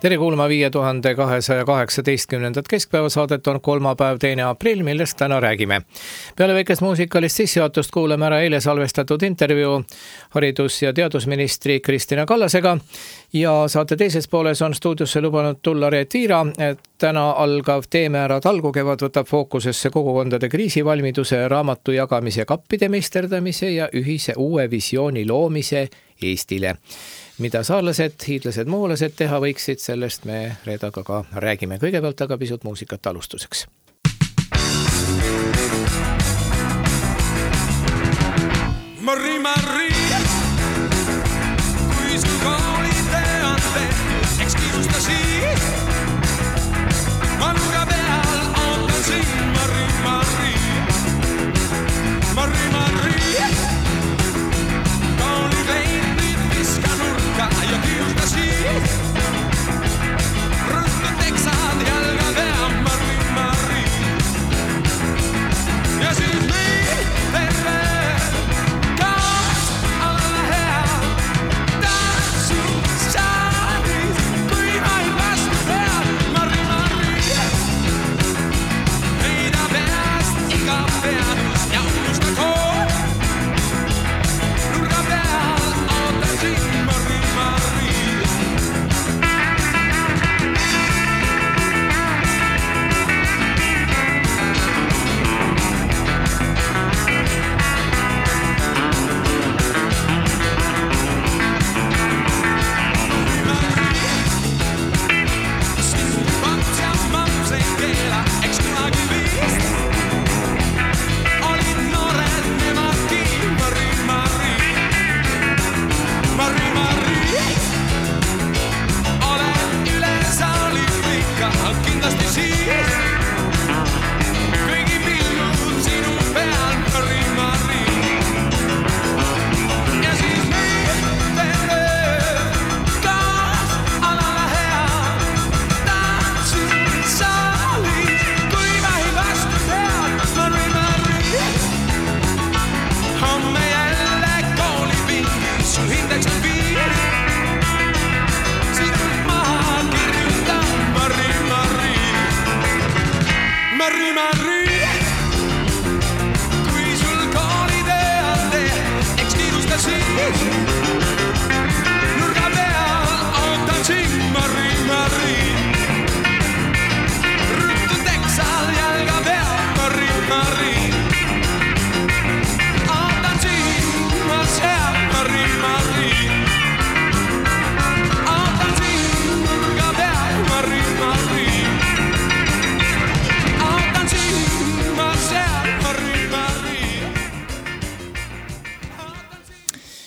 Tere kuulma 5218. keskpäevasaadet on kolmapäev 2. aprill, millest täna räägime. Peale väikest muusikalist sissejuhatust kuuleme ära eile salvestatud intervjuu haridus- ja teadusministri Kristina Kallasega ja saate teises pooles on stuudiosse lubanud tulla Reet Viira, et täna algav Teeme ära talgukevad võtab fookusesse kogukondade kriisivalmiduse, raamatu jagamise, kappide meisterdamise ja ühise uue visiooni loomise Eestile. Mida saarlased, hiidlased, muulased teha võiksid, sellest me Reedaga ka räägime. Kõigepealt aga pisut muusikat alustuseks. Marri, Marri, kui sul koolide on tehtud, eks kiirusta siis. Ma nurga peal ootan siin, Marri, Marri, Marri, Marri. Ja kiusta siis. Ruttu teksad jalga pea, Marri, Marri. Ja siis meil terve kaas alla hea. Tanssut saalis, kui vaid vastu pead, Marri, Marri. Heida peast iga peadus ja unusta kool. Nurga peal ootan siin, Marri, Marri.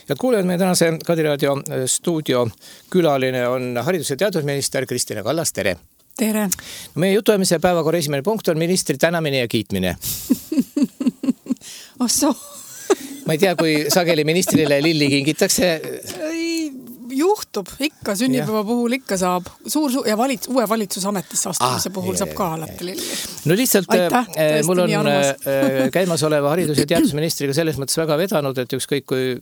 Head kuulejad, meie tänase Kadiraadio stuudio külaline on haridus- ja teadusminister Kristina Kallas, tere! Tere! Meie jutuajamise päevakorra esimene punkt on ministri tänamine ja kiitmine. Osso! Ma ei tea, kui sageli ministrile lilli kingitakse. Juhtub, ikka sünnipäeva puhul ikka saab. Ja uue valitsusametisse astumise puhul saab ka alati lilli. No lihtsalt Aitäh, mul on käimas oleva haridus- ja teadusministriga selles mõttes väga vedanud, et ükskõik kui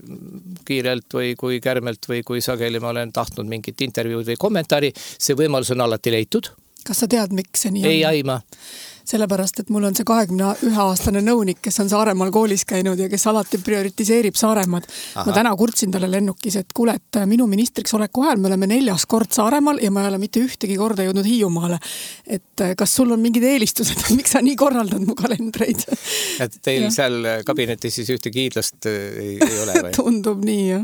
kiirelt või kui kärmelt või kui sageli ma olen tahtnud mingit intervjuud või kommentaari, see võimalus on alati leitud. Kas sa tead, miks see nii on? Ei aima. Sellepärast, et mul on see 21-aastane nõunik, kes on Saaremaal koolis käinud ja kes alati prioritiseerib Saaremaad. Ma täna kurtsin talle lennukis, et kuule, et minu ministriks oleku ajal me oleme 4. kord Saaremaal ja ma ei ole mitte ühtegi korda jõudnud Hiiumaale. Et kas sul on mingid eelistused, miks sa nii korraldad mu kalendreid? Et teil seal kabinetis siis ühtegi hiidlast ei ole või? Tundub nii, jah.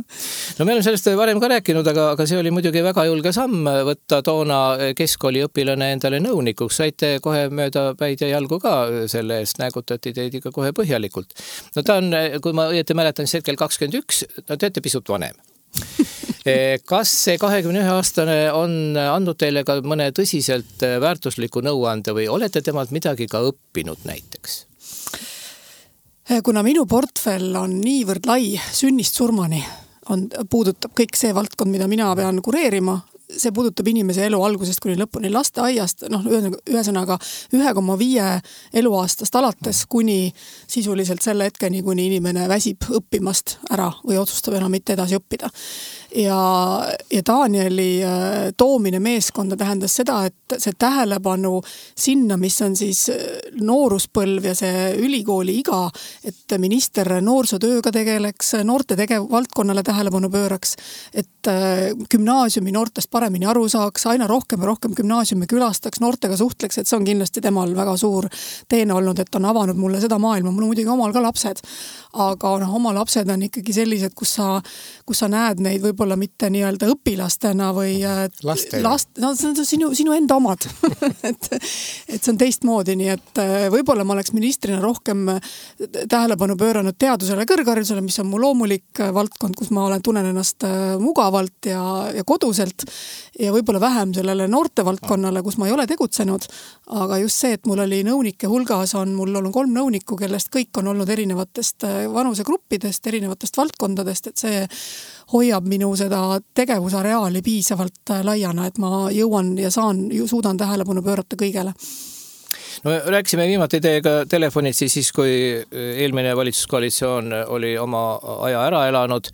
No me oleme sellest varem ka rääkinud, aga see oli muidugi väga julge samm võtta toona keskkooli õpilane endale nõunikuks. Saite kohe mööda ja jalgu ka selle eest, nägutati teid ikka kohe põhjalikult. No ta on, kui ma õieti mäletan, siis hetkel 21, no teete pisut vanem. Kas see 21-aastane on andnud teile ka mõne tõsiselt väärtusliku nõuande või olete temalt midagi ka õppinud näiteks? Kuna minu portfell on niivõrd lai sünnist surmani, puudutab kõik see valdkond, mida mina pean kureerima, see puudutab inimese elu algusest kuni lõpuni, lasteaiast, ühesõnaga 1,5 eluaastast alates kuni sisuliselt selle hetkeni, kuni inimene väsib õppimast ära või otsustab enam mitte edasi õppida. Ja Danieli toomine meeskonda tähendas seda, et see tähelepanu sinna, mis on siis nooruspõlv ja see ülikooli iga, et minister noorsootööga tegeleks, noorte valdkonnale tähelepanu pööraks, et gümnaasiumi noortest paremini aru saaks, aina rohkem ja rohkem gümnaasiumi külastaks, noortega suhtleks, et see on kindlasti temal väga suur teene olnud, et on avanud mulle seda maailma. Mul on muidugi omal ka lapsed, aga oma lapsed on ikkagi sellised, kus sa näed neid võib-olla mitte nii-öelda õpilastena või sinu enda omad. et see on teistmoodi, nii et võib-olla ma oleks ministrina rohkem tähelepanu pööranud teadusele, kõrgharidusele, mis on mu loomulik valdkond, kus ma tunnen ennast mugavalt ja koduselt ja võib-olla vähem sellele noorte valdkonnale, kus ma ei ole tegutsenud, aga just see, et mul oli nõunike hulgas, mul olnud 3 nõunikku, kellest kõik on olnud erinevatest vanusegruppidest, erinevatest valdkondadest, et see hoiab minu seda tegevusareaali piisavalt laiana, et ma jõuan ja suudan tähelepanu pöörata kõigele. No rääkisime viimati teiega telefonid siis, kui eelmine valitsuskoalitsioon oli oma aja ära elanud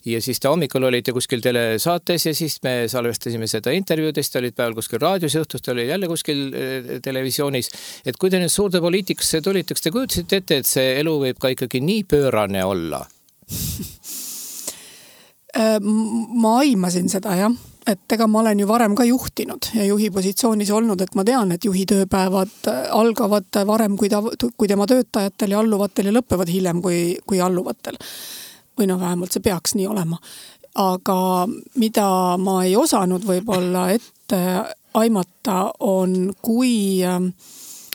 ja siis te hommikul olite kuskil telesaates ja siis me salvestasime seda intervjuudest, olid päeval kuskil raadios, õhtust oli jälle kuskil televisioonis. Et kui te nüüd suurde poliitikasse tulite, kas te kujutasite ette, et see elu võib ka ikkagi nii pöörane olla? Ma aimasin seda, jah. Et ega ma olen ju varem ka juhtinud ja juhi positsioonis olnud, et ma tean, et juhi tööpäevad algavad varem kui tema töötajatel ja alluvatel ja lõppevad hiljem kui alluvatel. Või vähemalt see peaks nii olema. Aga mida ma ei osanud võib-olla ette aimata on, kui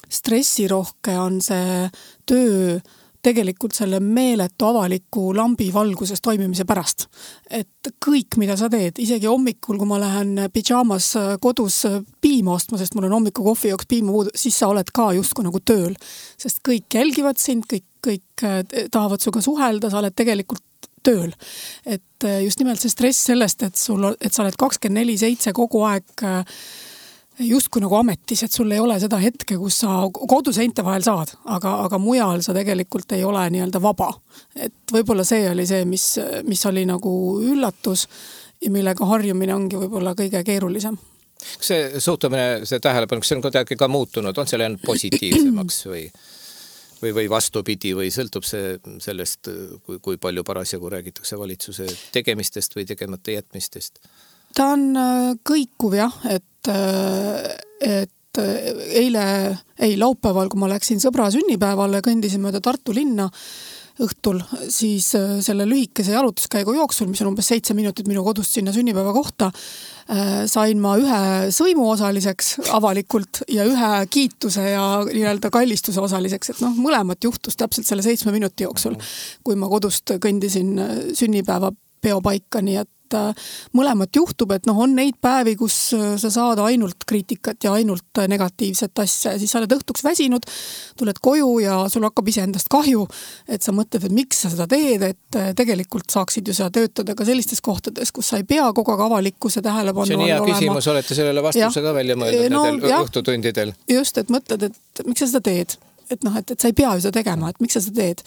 stressirohke on see töö tegelikult selle meeletu avaliku lambi valguses toimimise pärast. Et kõik, mida sa teed, isegi hommikul, kui ma lähen pidžaamas kodus piima ostma, sest mul on hommiku kohvi jooks piima puudu, siis sa oled ka justkui nagu tööl. Sest kõik jälgivad sind, kõik tahavad suga suhelda, sa oled tegelikult tööl. Et just nimelt see stress sellest, et sa oled 24/7 kogu aeg justkui nagu ametis, et sul ei ole seda hetke, kus sa koduseinte vahel saad, aga mujal sa tegelikult ei ole nii-öelda vaba. Et võib-olla see oli see, mis oli nagu üllatus ja millega harjumine ongi võib-olla kõige keerulisem. Kas see suhtumine, see tähelepanu, kas see on kuidagi ka muutunud, on see läinud positiivsemaks või vastupidi või sõltub see sellest, kui palju parasjagu räägitakse valitsuse tegemistest või tegemata jätmistest? Ta on kõikuv, jah, et laupäeval, kui ma läksin sõbra sünnipäevale, kõndisin mööda Tartu linna õhtul, siis selle lühikese jalutuskäigu jooksul, mis on umbes 7 minutit minu kodust sinna sünnipäeva kohta, sain ma ühe sõimu osaliseks avalikult ja ühe kiituse ja nii-öelda kallistuse osaliseks, et mõlemat juhtus täpselt selle 7 minuti jooksul, kui ma kodust kõndisin sünnipäeva peopaika, nii et mõlemat juhtub, et on neid päevi, kus sa saad ainult kriitikat ja ainult negatiivset asja ja siis sa oled õhtuks väsinud, tuled koju ja sul hakkab iseendast kahju, et sa mõtled, et miks sa seda teed, et tegelikult saaksid ju sa töötada ka sellistes kohtades, kus sa ei pea kogu aeg avalikkuse tähelepanu olema. See on hea küsimus, olete sellele vastuse ka välja mõeldud nendel õhtutundidel. Just, et mõtled, et miks sa seda teed, et sa ei pea ju seda tegema, et miks sa seda teed.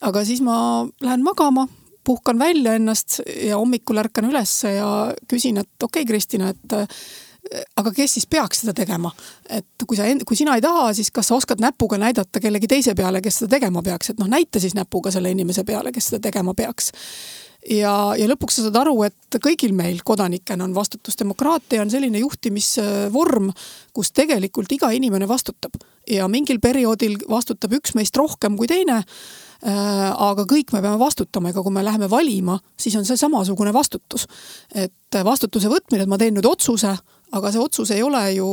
Aga siis ma lähen magama, puhkan välja ennast ja hommikul ärkan üles ja küsin, et okei, Kristina, et aga kes siis peaks seda tegema? Et kui sina ei taha, siis kas sa oskad näpuga näidata kellegi teise peale, kes seda tegema peaks? Et näita siis näpuga selle inimese peale, kes seda tegema peaks. Ja lõpuks sa saad aru, et kõigil meil kodanikena on vastutus. Demokraatia on selline juhtimisvorm, kus tegelikult iga inimene vastutab. Ja mingil perioodil vastutab üks meist rohkem kui teine, aga kõik me peame vastutama, ega kui me läheme valima, siis on see samasugune vastutus. Et vastutuse võtmine, et ma teen nüüd otsuse, aga see otsus ei ole ju,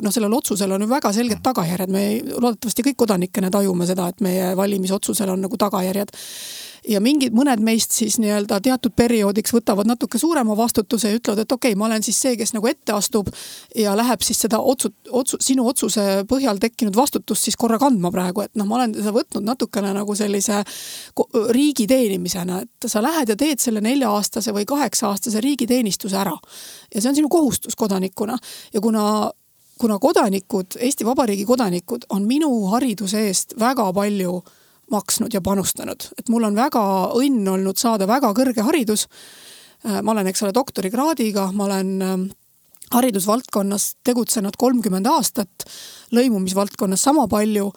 sellel otsusel on ju väga selged tagajärjed. Me loodetavasti kõik kodanikena tajume seda, et meie valimisotsusel on nagu tagajärjed. ja mõned meist siis nii-öelda teatud perioodiks võtavad natuke suurema vastutuse ja ütlevad, et okei, ma olen siis see, kes nagu ette astub ja läheb siis seda sinu otsuse põhjal tekkinud vastutust siis korra kandma praegu, et ma olen seda võtnud natukene nagu sellise riigi teenimisena, et sa lähed ja teed selle 4-aastase või 8-aastase riigiteenistuse ära. Ja see on sinu kohustus kodanikuna ja kuna kodanikud, Eesti Vabariigi kodanikud on minu hariduse eest väga palju maksnud ja panustanud. Et mul on väga õnn olnud saada väga kõrge haridus. Ma olen, eks ole, doktorikraadiga, ma olen haridusvaldkonnas tegutsenud 30 aastat, lõimumisvaldkonnas sama palju,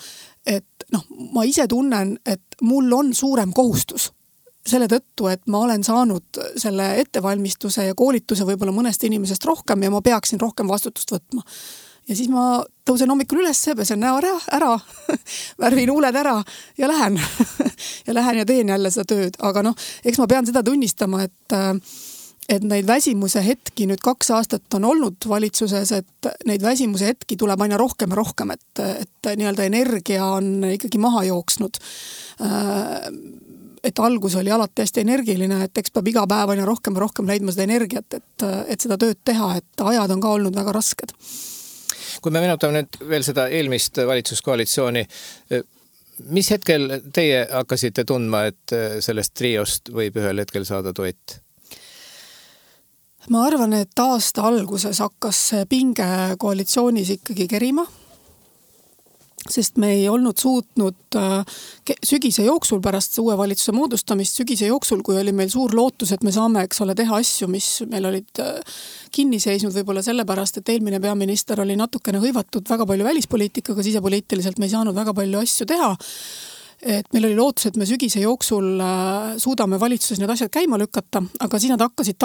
et ma ise tunnen, et mul on suurem kohustus selle tõttu, et ma olen saanud selle ettevalmistuse ja koolituse võib-olla mõnest inimesest rohkem ja ma peaksin rohkem vastutust võtma. Ja siis ma tõusen hommikul üles, pesen näo ära, värvin huuled ära ja lähen. ja lähen ja teen jälle seda tööd. Aga eks ma pean seda tunnistama, et neid väsimuse hetki nüüd 2 aastat on olnud valitsuses, et neid väsimuse hetki tuleb aina rohkem ja rohkem, et nii-öelda energia on ikkagi maha jooksnud. Et algus oli alati hästi energiline, et eks peab iga päev aina rohkem ja rohkem leidma seda energiat, et seda tööd teha, et ajad on ka olnud väga rasked. Kui me meenutame nüüd veel seda eelmist valitsuskoalitsiooni, mis hetkel teie hakkasite tundma, et sellest triost võib ühel hetkel saada duett? Ma arvan, et aasta alguses hakkas pinge koalitsioonis ikkagi kerima, sest me ei olnud suutnud sügise jooksul pärast uue valitsuse moodustamist, sügise jooksul, kui oli meil suur lootus, et me saame, eks ole, teha asju, mis meil olid kinni seisnud võib-olla sellepärast, et eelmine peaminister oli natukene hõivatud väga palju välispoliitikaga, sisepoliitiliselt me ei saanud väga palju asju teha. Et meil oli lootus, et me sügise jooksul suudame valitsuses need asjad käima lükata, aga siis nad hakkasid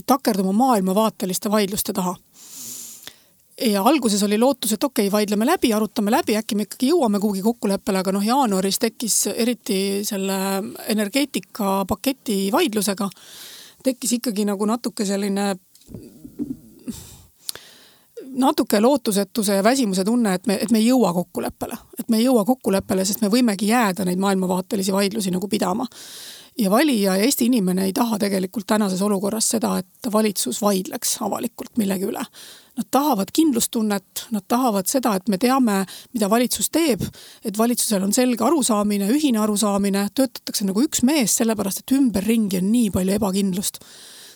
takerduma maailmavaateliste vaidluste taha. Ja alguses oli lootus, et okei, vaidleme läbi, arutame läbi, äkki me ikkagi jõuame kuhugi kokkuleppele, aga jaanuaris tekkis eriti selle energeetika paketi vaidlusega, tekkis ikkagi nagu natuke selline lootusetuse ja väsimuse tunne, et me ei jõua kokkuleppele. Et me ei jõua kokkuleppele, sest me võimegi jääda neid maailmavaatelisi vaidlusi nagu pidama. Ja valija ja Eesti inimene ei taha tegelikult tänases olukorras seda, et valitsus vaidleks avalikult millegi üle. Nad tahavad kindlustunnet, nad tahavad seda, et me teame, mida valitsus teeb, et valitsusel on selge arusaamine, ühine arusaamine, töötatakse nagu üks mees, sellepärast, et ümberringi on nii palju ebakindlust.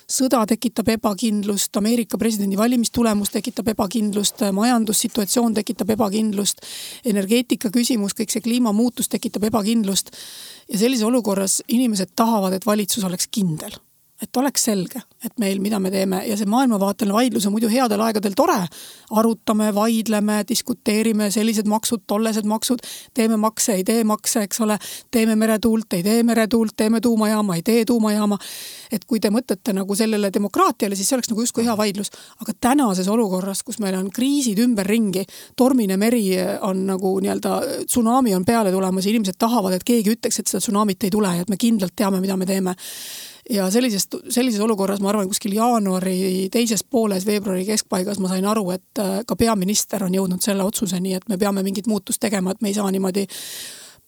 Sõda tekitab ebakindlust, Ameerika presidendi valimistulemus tekitab ebakindlust, majandussituatsioon tekitab ebakindlust, energeetika küsimus, kõik see kliimamuutus tekitab ebakindlust. Ja sellise olukorras inimesed tahavad, et valitsus oleks kindel. Et oleks selge, et meil mida me teeme ja see maailmavaateline vaidlus on muidu headel aegadel tore. Arutame, vaidleme, diskuteerime sellised maksud, tollesed maksud, teeme makse, ei tee makse, eks ole, teeme meretuult, ei tee meretuult, teeme tuumajaama, ei tee tuumajaama. Et kui te mõtlete nagu sellele demokraatiale, siis see oleks nagu justkui hea vaidlus. Aga tänases olukorras, kus meil on kriisid ümberringi, tormine meri on nagu nii-öelda tsunami on peale tulemas ja inimesed tahavad, et keegi ütleks, et seda tsunamit ei tule ja et me kindlalt teame, mida me teeme. Ja sellises olukorras ma arvan, kuskil jaanuari teises pooles, veebruari keskpaigas ma sain aru, et ka peaminister on jõudnud selle otsuseni, et me peame mingit muutust tegema, et me ei saa niimoodi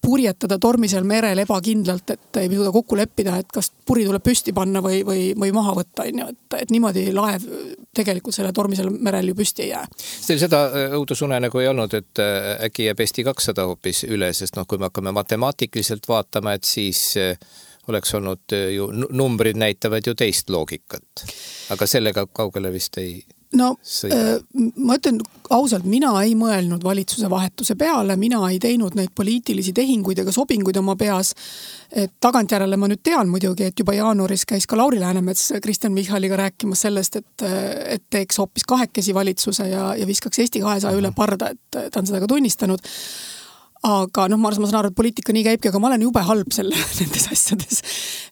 purjetada tormisel merel ebakindlalt, et ei suuda kokku leppida, et kas puri tuleb püsti panna või maha võtta. Et niimoodi laev tegelikult selle tormisel merel ju püsti ei jää. Teil seda õudusune nagu ei olnud, et äkki jääb Eesti 200 hoopis üle, sest kui me hakkame matemaatikliselt vaatama, et siis oleks olnud ju, numbrid näitavad ju teist loogikat. Aga sellega kaugele vist ei sõida. Ma ütlen ausalt, mina ei mõelnud valitsuse vahetuse peale, mina ei teinud neid poliitilisi tehinguid ega sobinguid oma peas. Et tagantjärele ma nüüd tean muidugi, et juba jaanuaris käis ka Lauri Läänemets Kristen Michaliga rääkimas sellest, et teeks hoopis kahekesi valitsuse ja viskaks Eesti 200 üle parda, et ta on seda ka tunnistanud. Aga ma saan aru, et poliitika nii käibki, aga ma olen jube halb nendes asjades.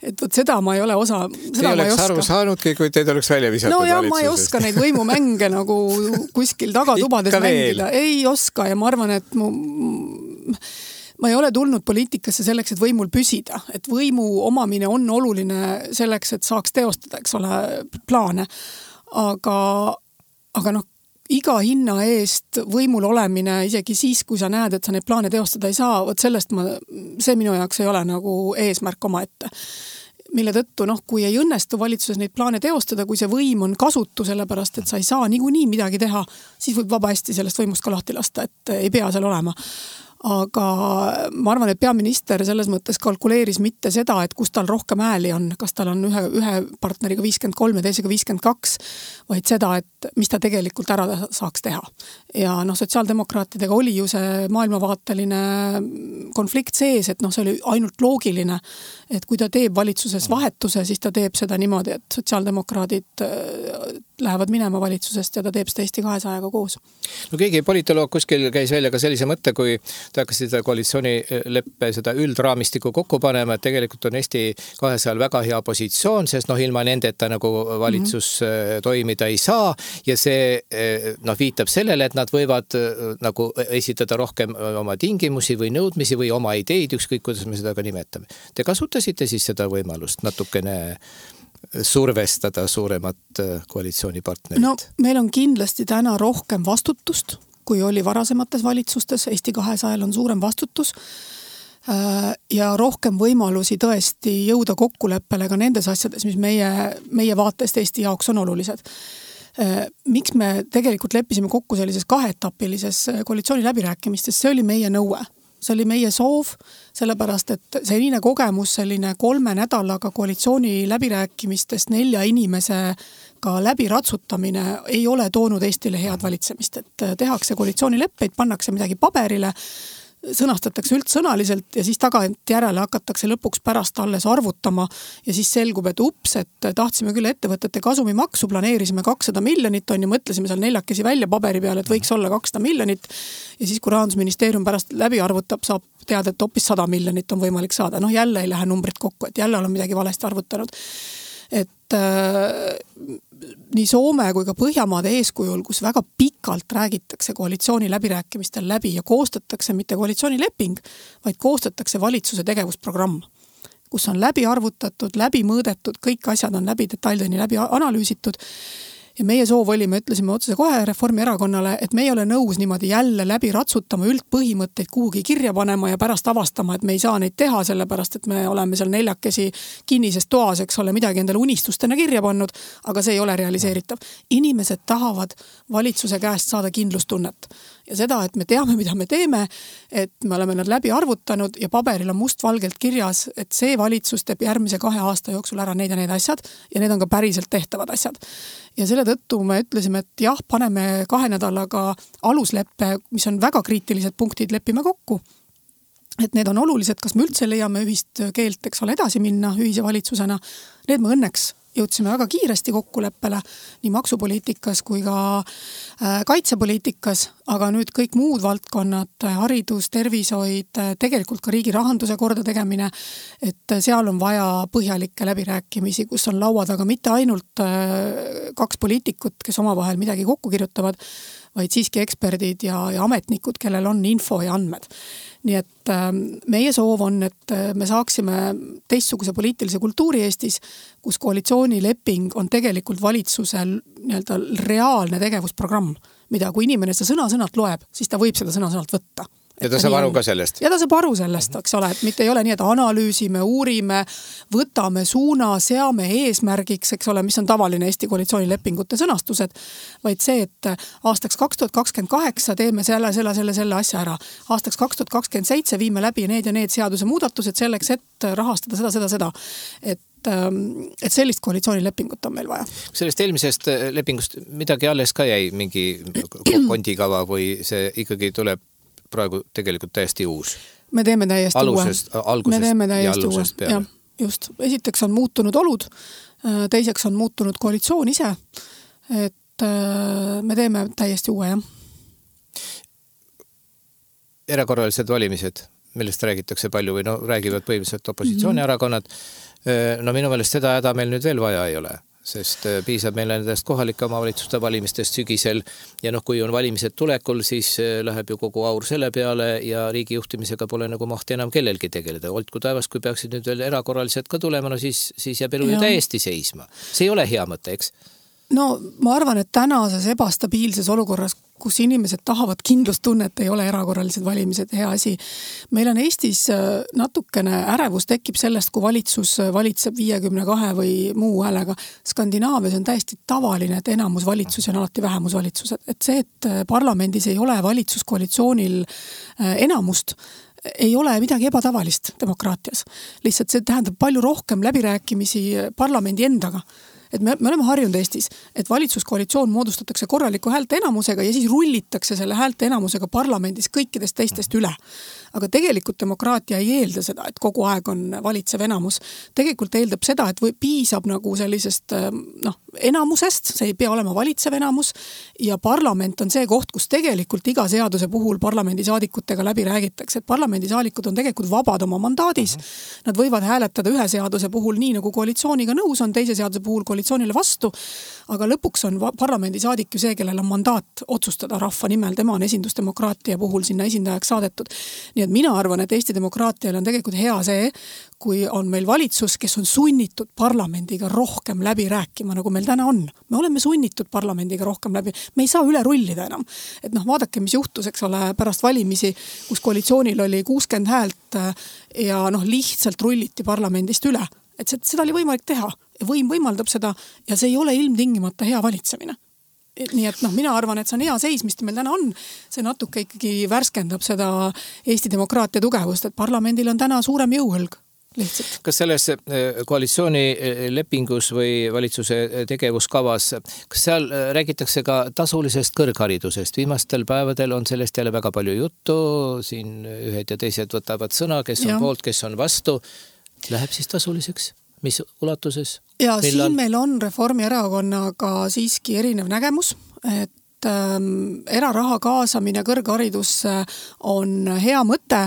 Et seda ma ei ole osa. Te oleks aru saanudki, kui teid oleks välja visatud valitsusest. Ma ei oska neid võimumänge nagu kuskil tagatubades mängida. Ei oska ja ma arvan, et ma ei ole tulnud poliitikasse selleks, et võimul püsida. Et võimu omamine on oluline selleks, et saaks teostada, eks ole, plaane. Aga iga hinna eest võimul olemine, isegi siis, kui sa näed, et sa neid plaane teostada ei saa, võt sellest see minu jaoks ei ole nagu eesmärk oma ette. Mille tõttu, kui ei õnnestu valitsuses neid plaane teostada, kui see võim on kasutu sellepärast, et sa ei saa niikuinii midagi teha, siis võib vaba hästi sellest võimust ka lahti lasta, et ei pea seal olema. Aga ma arvan, et peaminister selles mõttes kalkuleeris mitte seda, et kus tal rohkem ääli on, kas tal on ühe partneriga 53 ja teisega 52, vaid seda, et mis ta tegelikult ära saaks teha. Ja sotsiaaldemokraatidega oli ju see maailmavaateline konflikt sees, et see oli ainult loogiline, et kui ta teeb valitsuses vahetuse, siis ta teeb seda niimoodi, et sotsiaaldemokraadid lähevad minema valitsusest ja ta teeb seda Eesti 200-ga koos. No keegi politoloog kuskil käis välja ka sellise mõtte, kui ta hakkas seda koalitsioonileppe, seda üldraamistiku kokku panema, et tegelikult on Eesti 200 väga hea positsioon, sest ilma nendeta nagu valitsus toimida ei saa ja see viitab sellele, et nad võivad nagu esitada rohkem oma tingimusi või nõudmisi või oma ideid, ükskõik kuidas me seda ka nimetame. Te kasutasite siis seda võimalust natukene survestada suuremat koalitsioonipartnerit? No meil on kindlasti täna rohkem vastutust, kui oli varasemates valitsustes. Eesti 200 on suurem vastutus ja rohkem võimalusi tõesti jõuda kokkuleppele ka nendes asjades, mis meie vaatest Eesti jaoks on olulised. Miks me tegelikult leppisime kokku sellises kaheetapilises koalitsiooni läbirääkimistes, see oli meie nõue. See oli meie soov, sellepärast, et selline kogemus, selline 3 nädalaga koalitsiooni läbirääkimistest 4 inimesega läbi ratsutamine ei ole toonud Eestile head valitsemist. Et tehakse koalitsioonileppeid, pannakse midagi paberile, sõnastatakse üldsõnaliselt ja siis tagantjärele hakatakse lõpuks pärast alles arvutama ja siis selgub, et et tahtsime küll ettevõtete kasumimaksu, planeerisime 200 miljonit, mõtlesime seal 4 välja paberi peale, et võiks olla 200 miljonit ja siis, kui Rahandusministeerium pärast läbi arvutab, saab teada, et hoopis 100 miljonit on võimalik saada. Jälle ei lähe numbrid kokku, et jälle on midagi valesti arvutanud. Et nii Soome kui ka Põhjamaade eeskujul, kus väga pikalt räägitakse koalitsiooni läbirääkimistel läbi ja koostatakse mitte koalitsioonileping, vaid koostatakse valitsuse tegevusprogramm, kus on läbi arvutatud, läbi mõõdetud, kõik asjad on läbi detaildeni läbi analüüsitud. Ja meie soov oli, me ütlesime otsese kohe Reformierakonnale, et me ei ole nõus niimoodi jälle läbi ratsutama üldpõhimõtteid kuhugi kirja panema ja pärast avastama, et me ei saa neid teha, sellepärast, et me oleme seal 4 kinnises toas, eks ole, midagi endale unistustena kirja pannud, aga see ei ole realiseeritav. Inimesed tahavad valitsuse käest saada kindlustunnet. Ja seda, et me teame, mida me teeme, et me oleme nad läbi arvutanud ja paberil on mustvalgelt kirjas, et see valitsus teeb järgmise 2 aasta jooksul ära neid ja need asjad ja need on ka päriselt tehtavad asjad. Ja selle tõttu me ütlesime, et jah, paneme 2 nädalaga alusleppe, mis on väga kriitilised punktid, lepime kokku. Et need on olulised, kas me üldse leiame ühist keelt, eks ole, edasi minna ühise valitsusena. Need me õnneks jõudsime väga kiiresti kokkuleppele nii maksupoliitikas kui ka kaitsepoliitikas, aga nüüd kõik muud valdkonnad, haridus, tervishoid, tegelikult ka riigi rahanduse korda tegemine, et seal on vaja põhjalikke läbirääkimisi, kus on laua taga mitte ainult 2 poliitikut, kes omavahel midagi kokku kirjutavad, vaid siiski eksperdid ja ametnikud, kellel on info ja andmed. Nii et meie soov on, et me saaksime teistsuguse poliitilise kultuuri Eestis, kus koalitsioonileping on tegelikult valitsusel nii-öelda reaalne tegevusprogramm, mida kui inimene seda sõna-sõnalt loeb, siis ta võib seda sõna-sõnalt võtta. Ja ta saab aru ka sellest. Ja ta saab aru sellest, eks ole, et mitte ei ole nii, et analüüsime, uurime, võtame suuna, seame eesmärgiks, eks ole, mis on tavaline Eesti koalitsioonilepingute sõnastused, vaid see, et aastaks 2028 teeme selle asja ära. Aastaks 2027 viime läbi need ja need seaduse muudatused selleks, et rahastada seda. Et sellist koalitsioonilepingut on meil vaja. Sellest eelmisest lepingust midagi alles ka jäi, mingi kondikava või see ikkagi tuleb praegu tegelikult täiesti uus? Me teeme täiesti algusest ja alusest peale. Just. Esiteks on muutunud olud, teiseks on muutunud koalitsioon ise, et me teeme täiesti uue, jah. Erakorralised valimised, millest räägitakse palju või räägivad põhimõtteliselt opositsioonierakonnad. No minu meelest seda häda meil nüüd veel vaja ei ole. Sest piisab meil nendest kohalike omavalitsuste valimistest sügisel ja kui on valimised tulekul, siis läheb ju kogu aur selle peale ja riigi juhtimisega pole nagu mahti enam kellelgi tegeleda. Oltku taevas, kui peaksid nüüd veel erakorralised ka tulema, siis jääb elu ju täiesti seisma. See ei ole hea mõte, eks? No ma arvan, et tänases ebastabiilses olukorras, kus inimesed tahavad kindlustunnet, ei ole erakorralised valimised hea asi. Meil on Eestis natukene ärevus tekib sellest, kui valitsus valitseb 52 või muu häälega. Skandinaavias on täiesti tavaline, et enamusvalitsus on alati vähemusvalitsused. Et see, et parlamendis ei ole valitsuskoalitsioonil enamust, ei ole midagi ebatavalist demokraatias. Lihtsalt see tähendab palju rohkem läbirääkimisi parlamendi endaga. Et me oleme harjunud Eestis, et valitsuskoalitsioon moodustatakse korraliku häälte enamusega ja siis rullitakse selle häälte enamusega parlamendis kõikidest teistest üle. Aga tegelikult demokraatia ei eelda seda, et kogu aeg on valitsev enamus. Tegelikult eeldab seda, et piisab nagu sellisest enamusest, see ei pea olema valitsev enamus ja parlament on see koht, kus tegelikult iga seaduse puhul parlamendisaadikutega läbi räägitakse, et parlamendisaadikud on tegelikult vabad oma mandaadis. Nad võivad hääletada ühe seaduse puhul nii, nagu koalitsiooniga nõus on, teise seaduse puhul koalitsioonile vastu, aga lõpuks on parlamendisaadik ju see, kellel on mandaat otsustada rahva nimel, tema on esindusdemokraatia puhul sinna esindajaks saadetud. Nii et mina arvan, et Eesti demokraatial on tegelikult hea see, kui on meil valitsus, kes on sunnitud parlamendiga rohkem läbi rääkima, nagu meil täna on. Me oleme sunnitud parlamendiga rohkem läbi. Me ei saa üle rullida enam. Et vaadake, mis juhtus, eks ole, pärast valimisi, kus koalitsioonil oli 60 häält ja lihtsalt rulliti parlamendist üle. Et seda oli võimalik teha. Võim võimaldab seda ja see ei ole ilmtingimata hea valitsemine. Nii et mina arvan, et see on hea seis, mis meil täna on. See natuke ikkagi värskendab seda Eesti demokraatia tugevust, et parlamendil on täna suurem jõuhõlg. Lihtsalt. Kas selles koalitsioonilepingus või valitsuse tegevuskavas, kas seal räägitakse ka tasulisest kõrgharidusest? Viimastel päevadel on sellest jälle väga palju juttu, siin ühed ja teised võtavad sõna, kes on poolt, kes on vastu. Läheb siis tasuliseks? Mis ulatuses? Ja siin meil on Reformierakonnaga siiski erinev nägemus, et eraraha kaasamine kõrgharidusse on hea mõte,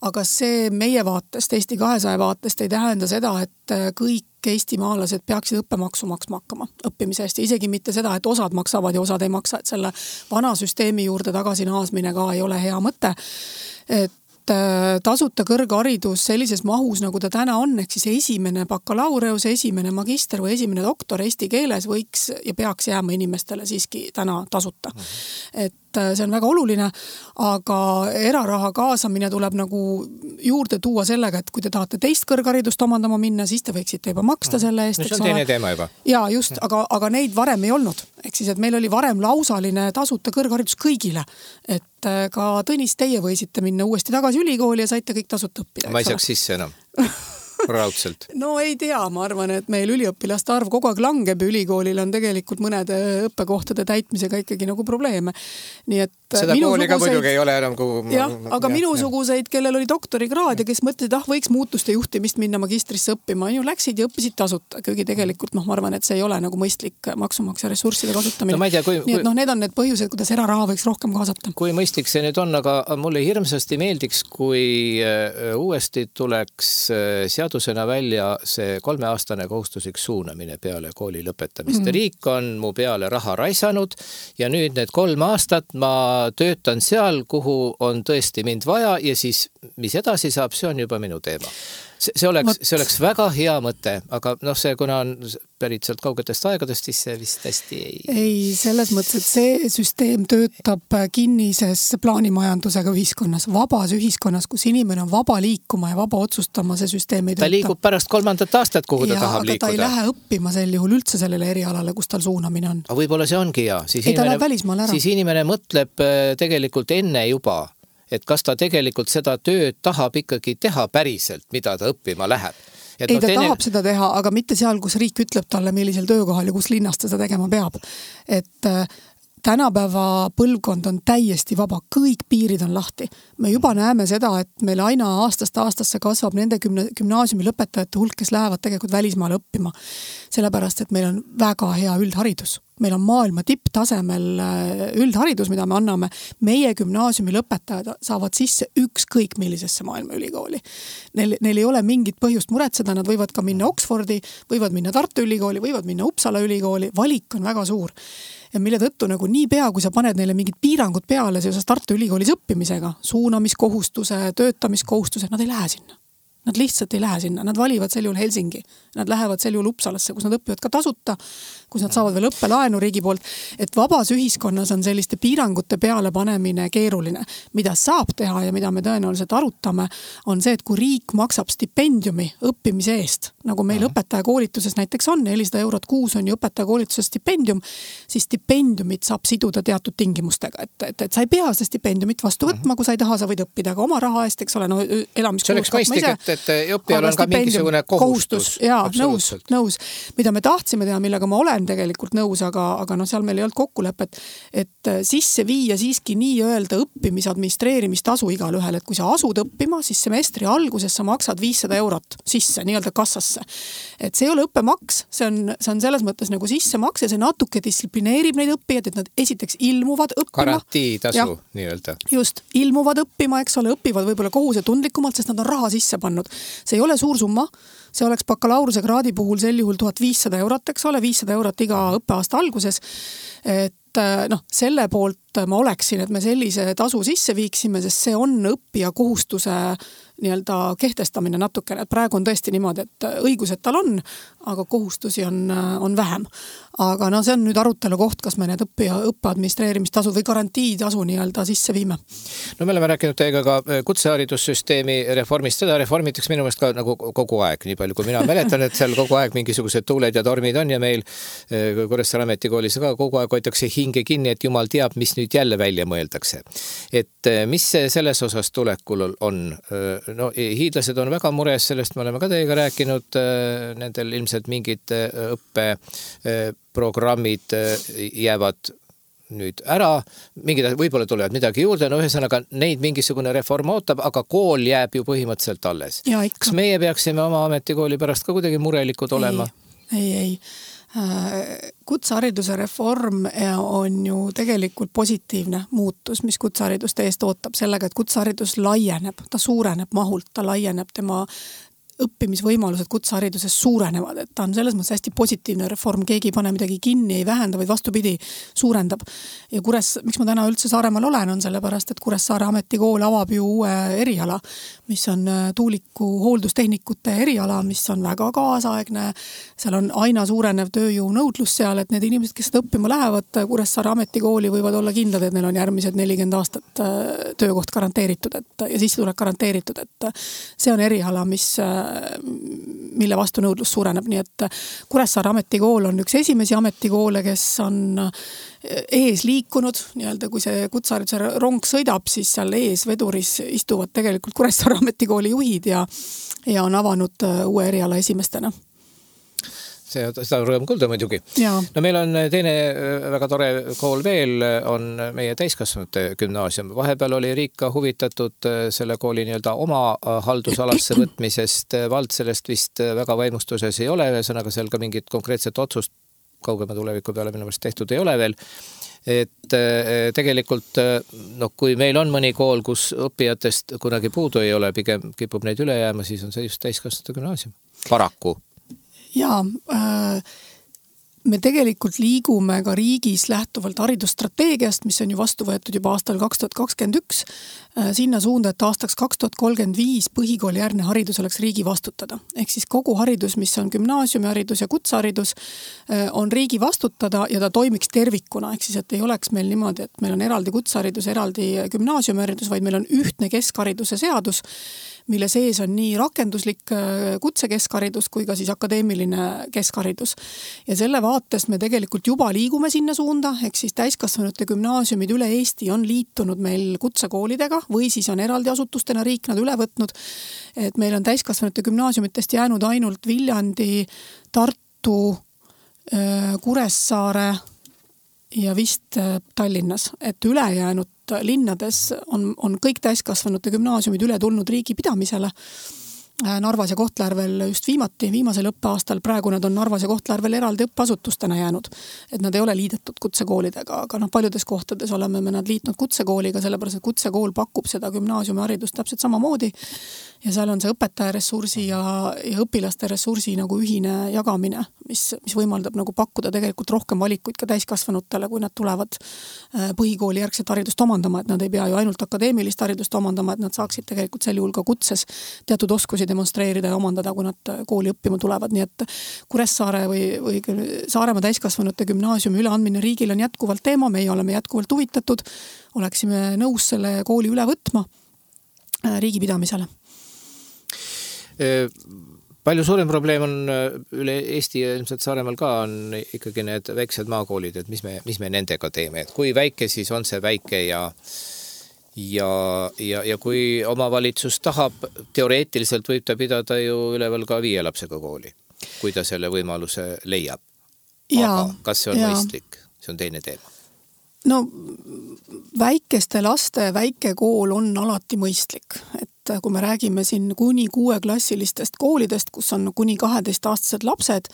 aga see meie vaatest, Eesti 200 vaatest ei tähenda seda, et kõik eestimaalased peaksid õppemaksu maksma hakkama õppimise eest. Isegi mitte seda, et osad maksavad ja osad ei maksa, et selle vana süsteemi juurde tagasi naasmine ka ei ole hea mõte. Et tasuta kõrgharidus sellises mahus, nagu ta täna on, ehk siis esimene bakalaureus, esimene magister või esimene doktor eesti keeles võiks ja peaks jääma inimestele siiski täna tasuta. Et see on väga oluline, aga eraraha kaasamine tuleb nagu juurde tuua sellega, et kui te tahate teist kõrgharidust omandama minna, siis te võiksite juba maksta selle eest. See on teine teema juba. Ja just, aga neid varem ei olnud. Ehk siis, et meil oli varem lausaline tasuta kõrgharidus kõigile. Et ka Tõnis, teie võisite minna uuesti tagasi ülikooli ja saite kõik tasuta õppida. Ma ei saaks sisse enam. Raudselt. No ei tea, ma arvan, et meil üliõpilaste arv kogu aeg langeb ja ülikoolil on tegelikult mõnede õppekohtade täitmisega ikkagi nagu probleeme. Nii et seda kooliga muidugi ei ole enam aga minusuguseid, kellel oli doktorikraad ja kes mõtlesid, võiks muutuste juhtimist minna magistrisse õppima, ju läksid ja õppisid tasuta. Kuigi tegelikult ma arvan, et see ei ole nagu mõistlik maksumaksja ressursside kasutamine. No, ma ei tea, nii et need on need põhjused, kuidas eraraha võiks rohkem kaasata. Kui mõistlik see nüüd on, aga mulle hirmsasti meeldiks, kui uuesti tuleks seadusena välja see 3-aastane kohustuslik suunamine peale kooli lõpetamist. Riik on mu peale raha raisanud ja nüüd need 3 aastat ma töötan seal, kuhu on tõesti mind vaja ja siis mis edasi saab, see on juba minu teema. See oleks väga hea mõte, aga see kuna on pärit sealt kaugetest aegadest, siis see vist hästi ei, selles mõttes, et see süsteem töötab kinnises plaanimajandusega ühiskonnas, vabas ühiskonnas, kus inimene on vaba liikuma ja vaba otsustama, see süsteem ei tööta. Ta liigub pärast 3. aastat, kuhu ta tahab liikuda. Aga ta ei lähe õppima sel juhul üldse sellele erialale, kus tal suunamine on. Aga võib-olla see ongi hea. Siis inimene mõtleb tegelikult enne juba, et kas ta tegelikult seda tööd tahab ikkagi teha päriselt, mida ta õppima läheb. Et ta tahab seda teha, aga mitte seal, kus riik ütleb talle, millisel töökohal ja kus linnas ta seda tegema peab. Et tänapäeva põlvkond on täiesti vaba, kõik piirid on lahti. Me juba näeme seda, et meil aina aastast aastasse kasvab nende gümnaasiumi lõpetajate hulk, kes lähevad tegelikult välismaale õppima. Sellepärast, et meil on väga hea üldharidus. Meil on maailma tipptasemel üldharidus, mida me anname. Meie gümnaasiumi lõpetajad saavad sisse ükskõik millisesse maailma ülikooli. Neil ei ole mingit põhjust muretseda, nad võivad ka minna Oxfordi, võivad minna Tartu ülikooli, võivad minna Uppsala ülikooli, valik on väga suur. Ja mille tõttu nagu nii pea, kui sa paned neile mingid piirangud peale seoses Tartu ülikoolis õppimisega, suunamiskohustuse, töötamiskohustuse, nad ei lähe sinna. Nad lihtsalt ei lähe sinna, nad valivad sel juhul Helsingi, nad lähevad sel juhul Uppsalasse, kus nad õpivad ka tasuta, kus nad saavad veel õppelaenu riigi poolt, et vabas ühiskonnas on selliste piirangute peale panemine keeruline. Mida saab teha ja mida me tõenäoliselt arutame, on see, et kui riik maksab stipendiumi õppimise eest, nagu meil õpetajakoolituses näiteks on, 400 eurot kuus on ju õpetajakoolituses stipendium, siis stipendiumit saab siduda teatud tingimustega, et sa ei pea seda stipendiumit vastu võtma, kui sa ei taha, sa võid õppida ka oma raha eest, eks ole, no elamiskulud kaupma ise. Et õppijal on ka mingisugune kohustus. Jaa, nõus. Mida me tahtsime teha, millega ma olen tegelikult nõus, aga no seal meil ei olnud kokkulepet, et sisse viia siiski nii öelda õppimise administreerimistasu igal ühel, et kui sa asud õppima, siis semestri alguses sa maksad 500 eurot sisse, nii-öelda kassasse. Et see ei ole õppemaks, see on selles mõttes nagu sissemakse, see natuke distsiplineerib neid õppijad, et nad esiteks ilmuvad õppima. Garantiitasu nii-öelda. Just, ilmuvad õppima, eks ole, õpivad võib-olla kohusetundlikumalt, sest nad on raha sisse pannud. See ei ole suur summa, see oleks bakalaureuse kraadi puhul sel juhul 1500 eurot, eks ole, 500 eurot iga õppeaasta alguses. Et selle poolt ma oleksin, et me sellise tasu sisse viiksime, sest see on õppija kohustuse nii-öelda kehtestamine natukene, et praegu on tõesti niimoodi, et õigused tal on, aga kohustusi on vähem. Aga see on nüüd arutelu koht, kas me need õppe administreerimistasud või garantiitasu nii-öelda sisse viime. No me oleme rääkinud teiega ka kutseharidussüsteemi reformist, seda reformitakse minu meelest ka nagu kogu aeg, nii palju kui mina mäletan, et seal kogu aeg mingisugused tuuled ja tormid on ja meil Kuressaare ametikoolis ka kogu aeg hoitakse hinge kinni, et jumal teab, mis nüüd jälle välja mõeldakse. Et mis selles osas tulekul on? No hiidlased on väga mures, sellest me oleme ka teiega rääkinud, nendel ilmselt mingid õppeprogrammid jäävad nüüd ära, võib-olla tulevad midagi juurde, no ühesõnaga neid mingisugune reform ootab, aga kool jääb ju põhimõtteliselt alles. Kas meie peaksime oma ametikooli pärast ka kuidagi murelikud olema? Ei. Kutsehariduse reform on ju tegelikult positiivne muutus, mis kutseharidust eest ootab sellega, et kutseharidus laieneb, ta suureneb mahult, ta laieneb, tema õppimisvõimalused kutsehariduses suurenevad, et ta on selles mõttes hästi positiivne reform, keegi ei pane midagi kinni, ei vähenda, vaid vastupidi, suurendab. Ja miks ma täna üldse Saaremaal olen, on sellepärast, et Kuressaare ametikool avab ju uue eriala, mis on tuuliku hooldustehnikute eriala, mis on väga kaasaegne, seal on aina suurenev tööjõu nõudlus seal, et need inimesed, kes seda õppima lähevad Kuressaare ametikooli, võivad olla kindlad, et neil on järgmised 40 aastat töökoht garanteeritud, ja sissetulek garanteeritud, et see on eriala, mille vastu nõudlus suureneb, nii et Kuressaare ametikool on üks esimesi ametikoole, kes on ees liikunud, nii-öelda kui see kutsehariduse rong sõidab, siis seal ees veduris istuvad tegelikult Kuressaare ametikooli juhid ja on avanud uue eriala esimestena. Seda rõõm kuulda muidugi. No meil on teine väga tore kool veel, on meie täiskasvanute gümnaasium. Vahepeal oli riik ka huvitatud selle kooli nii-öelda oma haldusalasse võtmisest. Vald sellest vist väga vaimustuses ei ole, ühesõnaga seal ka mingit konkreetset otsust kaugema tuleviku peale minu meelest tehtud ei ole veel. Et tegelikult, kui meil on mõni kool, kus õppijatest kunagi puudu ei ole, pigem kipub neid üle jääma, siis on see just täiskasvanute gümnaasium. Paraku. Jaa, me tegelikult liigume ka riigis lähtuvalt haridusstrateegiast, mis on ju vastu võetud juba aastal 2021, sinna suunda, et aastaks 2035 põhikoolijärgne haridus oleks riigi vastutada. Ehk siis kogu haridus, mis on gümnaasiumiharidus ja kutseharidus, on riigi vastutada ja ta toimiks tervikuna. Ehk siis, et ei oleks meil niimoodi, et meil on eraldi kutseharidus, eraldi gümnaasiumiharidus, vaid meil on ühtne keskhariduse seadus, mille sees on nii rakenduslik kutsekeskharidus kui ka siis akadeemiline keskharidus. Ja selle vaatest me tegelikult juba liigume sinna suunda, ehk siis täiskasvanute gümnaasiumid üle Eesti on liitunud meil kutsekoolidega või siis on eraldi asutustena riik nad üle võtnud. Et meil on täiskasvanute gümnaasiumitest jäänud ainult Viljandi, Tartu, Kuressaare ja vist Tallinnas, et ülejäänud linnades on kõik täiskasvanute gümnaasiumid üle tulnud riigi pidamisele. Narvas ja Kohtla-Järvel just viimasel õppeaastal, praegu nad on Narvas ja Kohtla-Järvel eraldi õppeasutustena jäänud, et nad ei ole liidetud kutsekoolidega, aga paljudes kohtades oleme me nad liitnud kutsekooliga, sellepärast, et kutsekool pakub seda gümnaasiumiharidust täpselt samamoodi ja seal on see õpetajaressursi ja õpilaste ressursi nagu ühine jagamine, mis võimaldab nagu pakkuda tegelikult rohkem valikuid ka täiskasvanutele, kui nad tulevad põhikooli järgset haridust omandama, et nad ei pea ju ainult akadeemilist haridust omandama, et nad saaksid tegelikult sel juhul ka kutses teatud oskusid oskusi demonstreerida ja omandada, kui nad kooli õppima tulevad, nii et Kuressaare või Saaremaa täiskasvanute gümnaasiumi üleandmine riigil on jätkuvalt teema, meie oleme jätkuvalt huvitatud, oleksime nõus selle kooli üle võtma riigi pidamisele. Palju suurem probleem on üle Eesti ja ilmselt Saaremaal ka on ikkagi need väiksed maakoolid, et mis me nendega teeme, et kui väike siis on see väike ja kui omavalitsus tahab, teoreetiliselt võib ta pidada ju üleval ka 5 lapsega kooli, kui ta selle võimaluse leiab. Aga kas see on mõistlik? See on teine teema. No väikeste laste väike kool on alati mõistlik, et kui me räägime siin kuni 6-klassilistest koolidest, kus on kuni 12-aastased lapsed,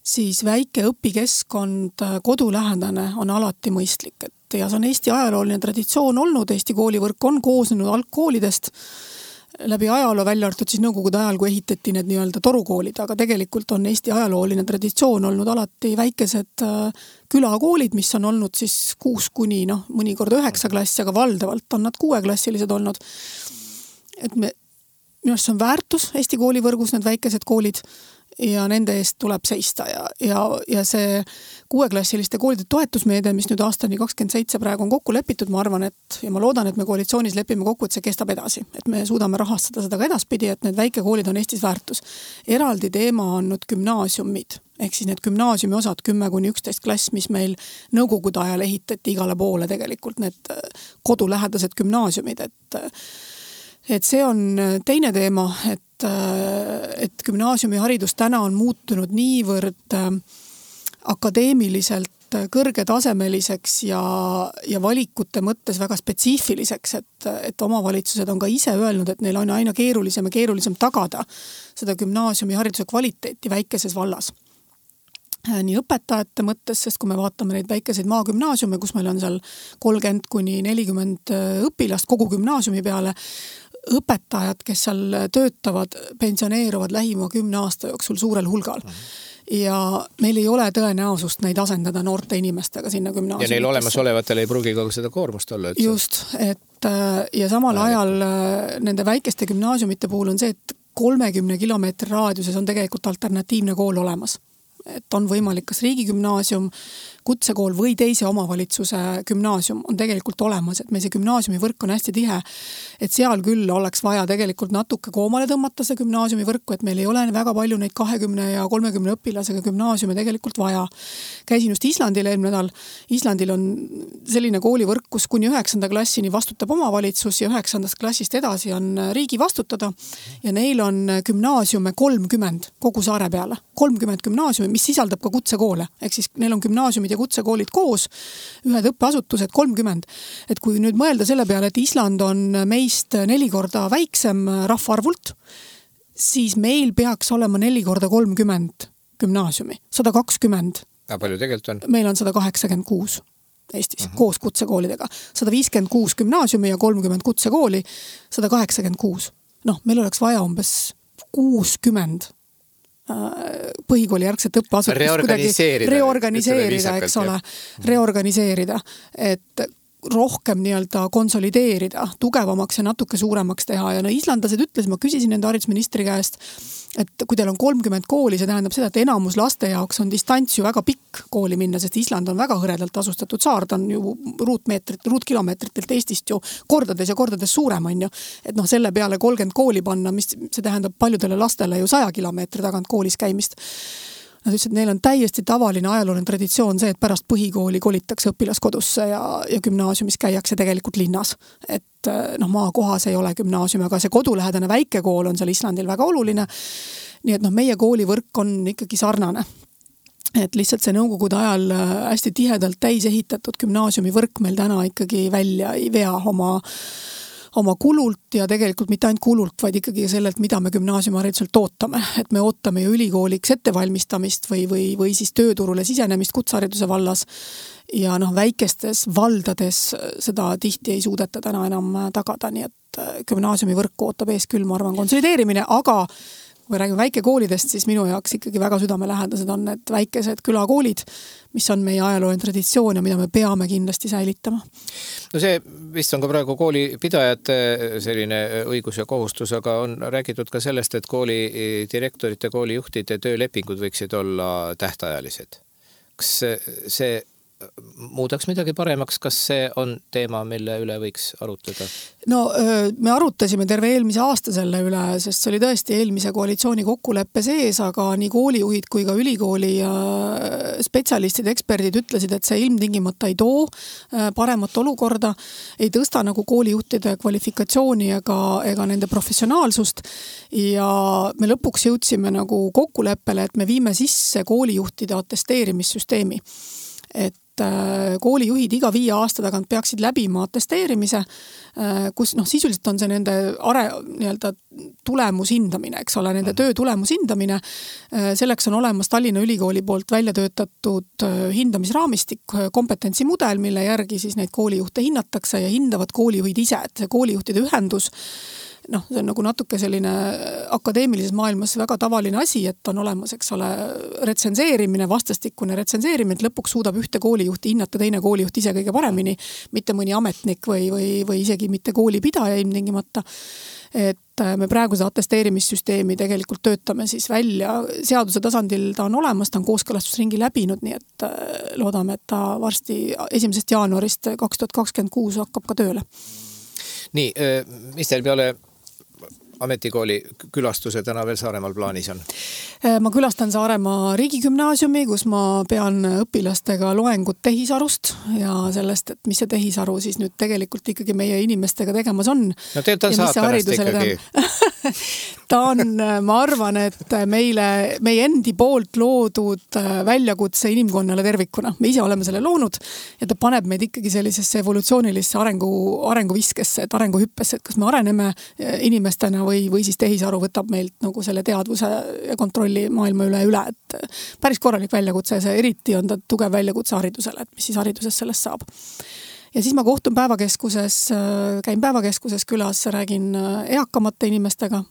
siis väike õpikeskkond kodulähedane on alati mõistlik, ja see on Eesti ajalooline traditsioon olnud, Eesti koolivõrk on koosnenud algkoolidest läbi ajaloo, välja arvatud siis nõukogude ajal, kui ehitati need nii-öelda torukoolid, aga tegelikult on Eesti ajalooline traditsioon olnud alati väikesed külakoolid, mis on olnud siis 6 kuni mõnikord 9 klassi, aga valdavalt on nad 6-klassilised olnud. Et minu arust see on väärtus Eesti koolivõrgus, need väikesed koolid, ja nende eest tuleb seista ja see 6-klassiliste koolide toetusmeede, mis nüüd aastani 27 praegu on kokku lepitud, ma arvan, ja ma loodan, et me koalitsioonis lepime kokku, et see kestab edasi, et me suudame rahastada seda ka edaspidi, et need väikekoolid on Eestis väärtus. Eraldi teema on nüüd gümnaasiumid, ehk siis need gümnaasiumi osad 10-11 klass, mis meil nõukogude ajal ehitati igale poole tegelikult, need kodulähedased gümnaasiumid, et see on teine teema, et gümnaasiumiharidus täna on muutunud niivõrd akadeemiliselt kõrgetasemeliseks ja valikute mõttes väga spetsiifiliseks, et omavalitsused on ka ise öelnud, et neil on aina keerulisem ja keerulisem tagada seda gümnaasiumihariduse kvaliteeti väikeses vallas. Nii õpetajate mõttes, sest kui me vaatame neid väikeseid maagümnaasiume, kus meil on seal 30-40 õpilast kogu gümnaasiumi peale, õpetajad, kes seal töötavad, pensioneeruvad lähima 10 aasta jooksul suurel hulgal. Ja meil ei ole tõenäosust neid asendada noorte inimestega sinna gümnaasiumitesse. Ja neil olemasolevatel ei pruugi ka seda koormust olla. Just, ja samal ajal nende väikeste gümnaasiumite puhul on see, et 30 kilomeetri raadiuses on tegelikult alternatiivne kool olemas. Et on võimalik kas riigigümnaasium, kutsekool või teise omavalitsuse gümnaasium on tegelikult olemas, et meil see gümnaasiumi võrk on hästi tihe, et seal küll oleks vaja tegelikult natuke koomale tõmmata see gümnaasiumi võrku, et meil ei ole väga palju neid 20 ja 30 õpilasega gümnaasiume tegelikult vaja. Käisin just Islandil eelmine nädal. Islandil on selline koolivõrk, kus kuni 9. klassini vastutab omavalitsus ja 9. klassist edasi on riigi vastutada ja neil on gümnaasiume 30 kogu saare peale. 30 gümnaasiumi, mis sisaldab ka kutsekoole, ehk siis neil on gümnaasiumid ja kutsekoolid koos, ühed õppeasutused 30. Et kui nüüd mõelda selle peale, et Island on meist 4 korda väiksem rahvaarvult, siis meil peaks olema 4 korda 30 gümnaasiumi, 120. Ja palju tegelikult on? Meil on 186 Eestis, koos kutsekoolidega. 156 gümnaasiumi ja 30 kutsekooli, 186. Meil oleks vaja umbes 60 põhikooli järgset õppeasutust reorganiseerida, eks ole, reorganiseerida, et rohkem nii-öelda konsolideerida, tugevamaks ja natuke suuremaks teha. Ja islandlased ütles, ma küsisin nende haridusministri käest, et kui teil on 30 kooli, see tähendab seda, et enamus laste jaoks on distants ju väga pikk kooli minna, sest Island on väga hõredalt asustatud saar, ta on ju ruutkilomeetritelt Eestist ju kordades ja kordades suurem on ju. Et selle peale 30 kooli panna, mis see tähendab paljudele lastele ju 100 kilomeetri tagant koolis käimist. Nad ütlesid, et neil on täiesti tavaline ajalooline traditsioon see, et pärast põhikooli kolitakse õpilaskodusse ja gümnaasiumis käiakse tegelikult linnas. Et maakohas ei ole gümnaasium, aga see kodulähedane väikekool on seal Islandil väga oluline. Nii et meie koolivõrk on ikkagi sarnane. Et lihtsalt see nõukogude ajal hästi tihedalt täis ehitatud gümnaasiumi võrk meil täna ikkagi välja ei vea oma kulult ja tegelikult mitte ainult kulult, vaid ikkagi sellelt, mida me gümnaasiumihariduselt ootame. Et me ootame ju ülikooliks ettevalmistamist või siis tööturule sisenemist kutsehariduse vallas ja väikestes valdades seda tihti ei suudeta täna enam tagada, nii et gümnaasiumi võrku ootab ees küll, ma arvan, konsolideerimine, aga kui räägime väikekoolidest, siis minu jaoks ikkagi väga südamelähedased on need väikesed külakoolid, mis on meie ajalooline traditsioon ja mida me peame kindlasti säilitama. No see vist on ka praegu koolipidajate selline õigus ja kohustus, aga on räägitud ka sellest, et kooli direktorite, koolijuhtide töölepingud võiksid olla tähtajalised. Kas see muudaks midagi paremaks, kas see on teema, mille üle võiks arutada? No me arutasime terve eelmise aasta selle üle, sest see oli tõesti eelmise koalitsiooni kokkuleppe sees, aga nii koolijuhid kui ka ülikooli spetsialistid, eksperdid ütlesid, et see ilmtingimata ei too paremat olukorda, ei tõsta nagu koolijuhtide kvalifikatsiooni ega nende professionaalsust ja me lõpuks jõudsime nagu kokkuleppele, et me viime sisse koolijuhtide atesteerimissüsteemi. Et koolijuhid iga 5 aasta tagant peaksid läbima atesteerimise, kus sisuliselt on see nende tulemushindamine, eks ole, nende töö tulemushindamine. Selleks on olemas Tallinna Ülikooli poolt välja töötatud hindamisraamistik, kompetentsimudel, mille järgi siis neid koolijuhte hinnatakse ja hindavad koolijuhid ise, et see koolijuhtide ühendus see on nagu natuke selline akadeemilises maailmas väga tavaline asi, et on olemas, eks ole, retsenseerimine, vastastikune retsenseerimine, et lõpuks suudab ühte koolijuhti hinnata teine koolijuht ise kõige paremini, mitte mõni ametnik või isegi mitte koolipidaja ilmtingimata. Et me praegu seda atesteerimissüsteemi tegelikult töötame siis välja. Seaduse tasandil ta on olemas, ta on kooskõlastusringi läbinud, nii et loodame, et ta varsti 1. jaanuarist 2026 hakkab ka tööle. Nii, mis teil peale ametikooli külastuse täna veel Saaremaal plaanis on? Ma külastan Saaremaa riigigümnaasiumi, kus ma pean õpilastega loengut tehisarust ja sellest, et mis see tehisaru siis nüüd tegelikult ikkagi meie inimestega tegemas on. No teil on saatanast ikkagi. Ta on, ma arvan, et meie endi poolt loodud väljakutse inimkonnale tervikuna. Me ise oleme selle loonud ja ta paneb meid ikkagi sellisesse evolutsioonilisse arenguviskesse, et arenguhüppesse, et kas me areneme inimestena või siis tehisaru võtab meilt nagu selle teadvuse ja kontrolli maailma üle, et päris korralik väljakutse ja see eriti on ta tugev väljakutse haridusele, et mis siis hariduses sellest saab. Ja siis ma kohtun käin päevakeskuses külas, räägin eakamate inimestega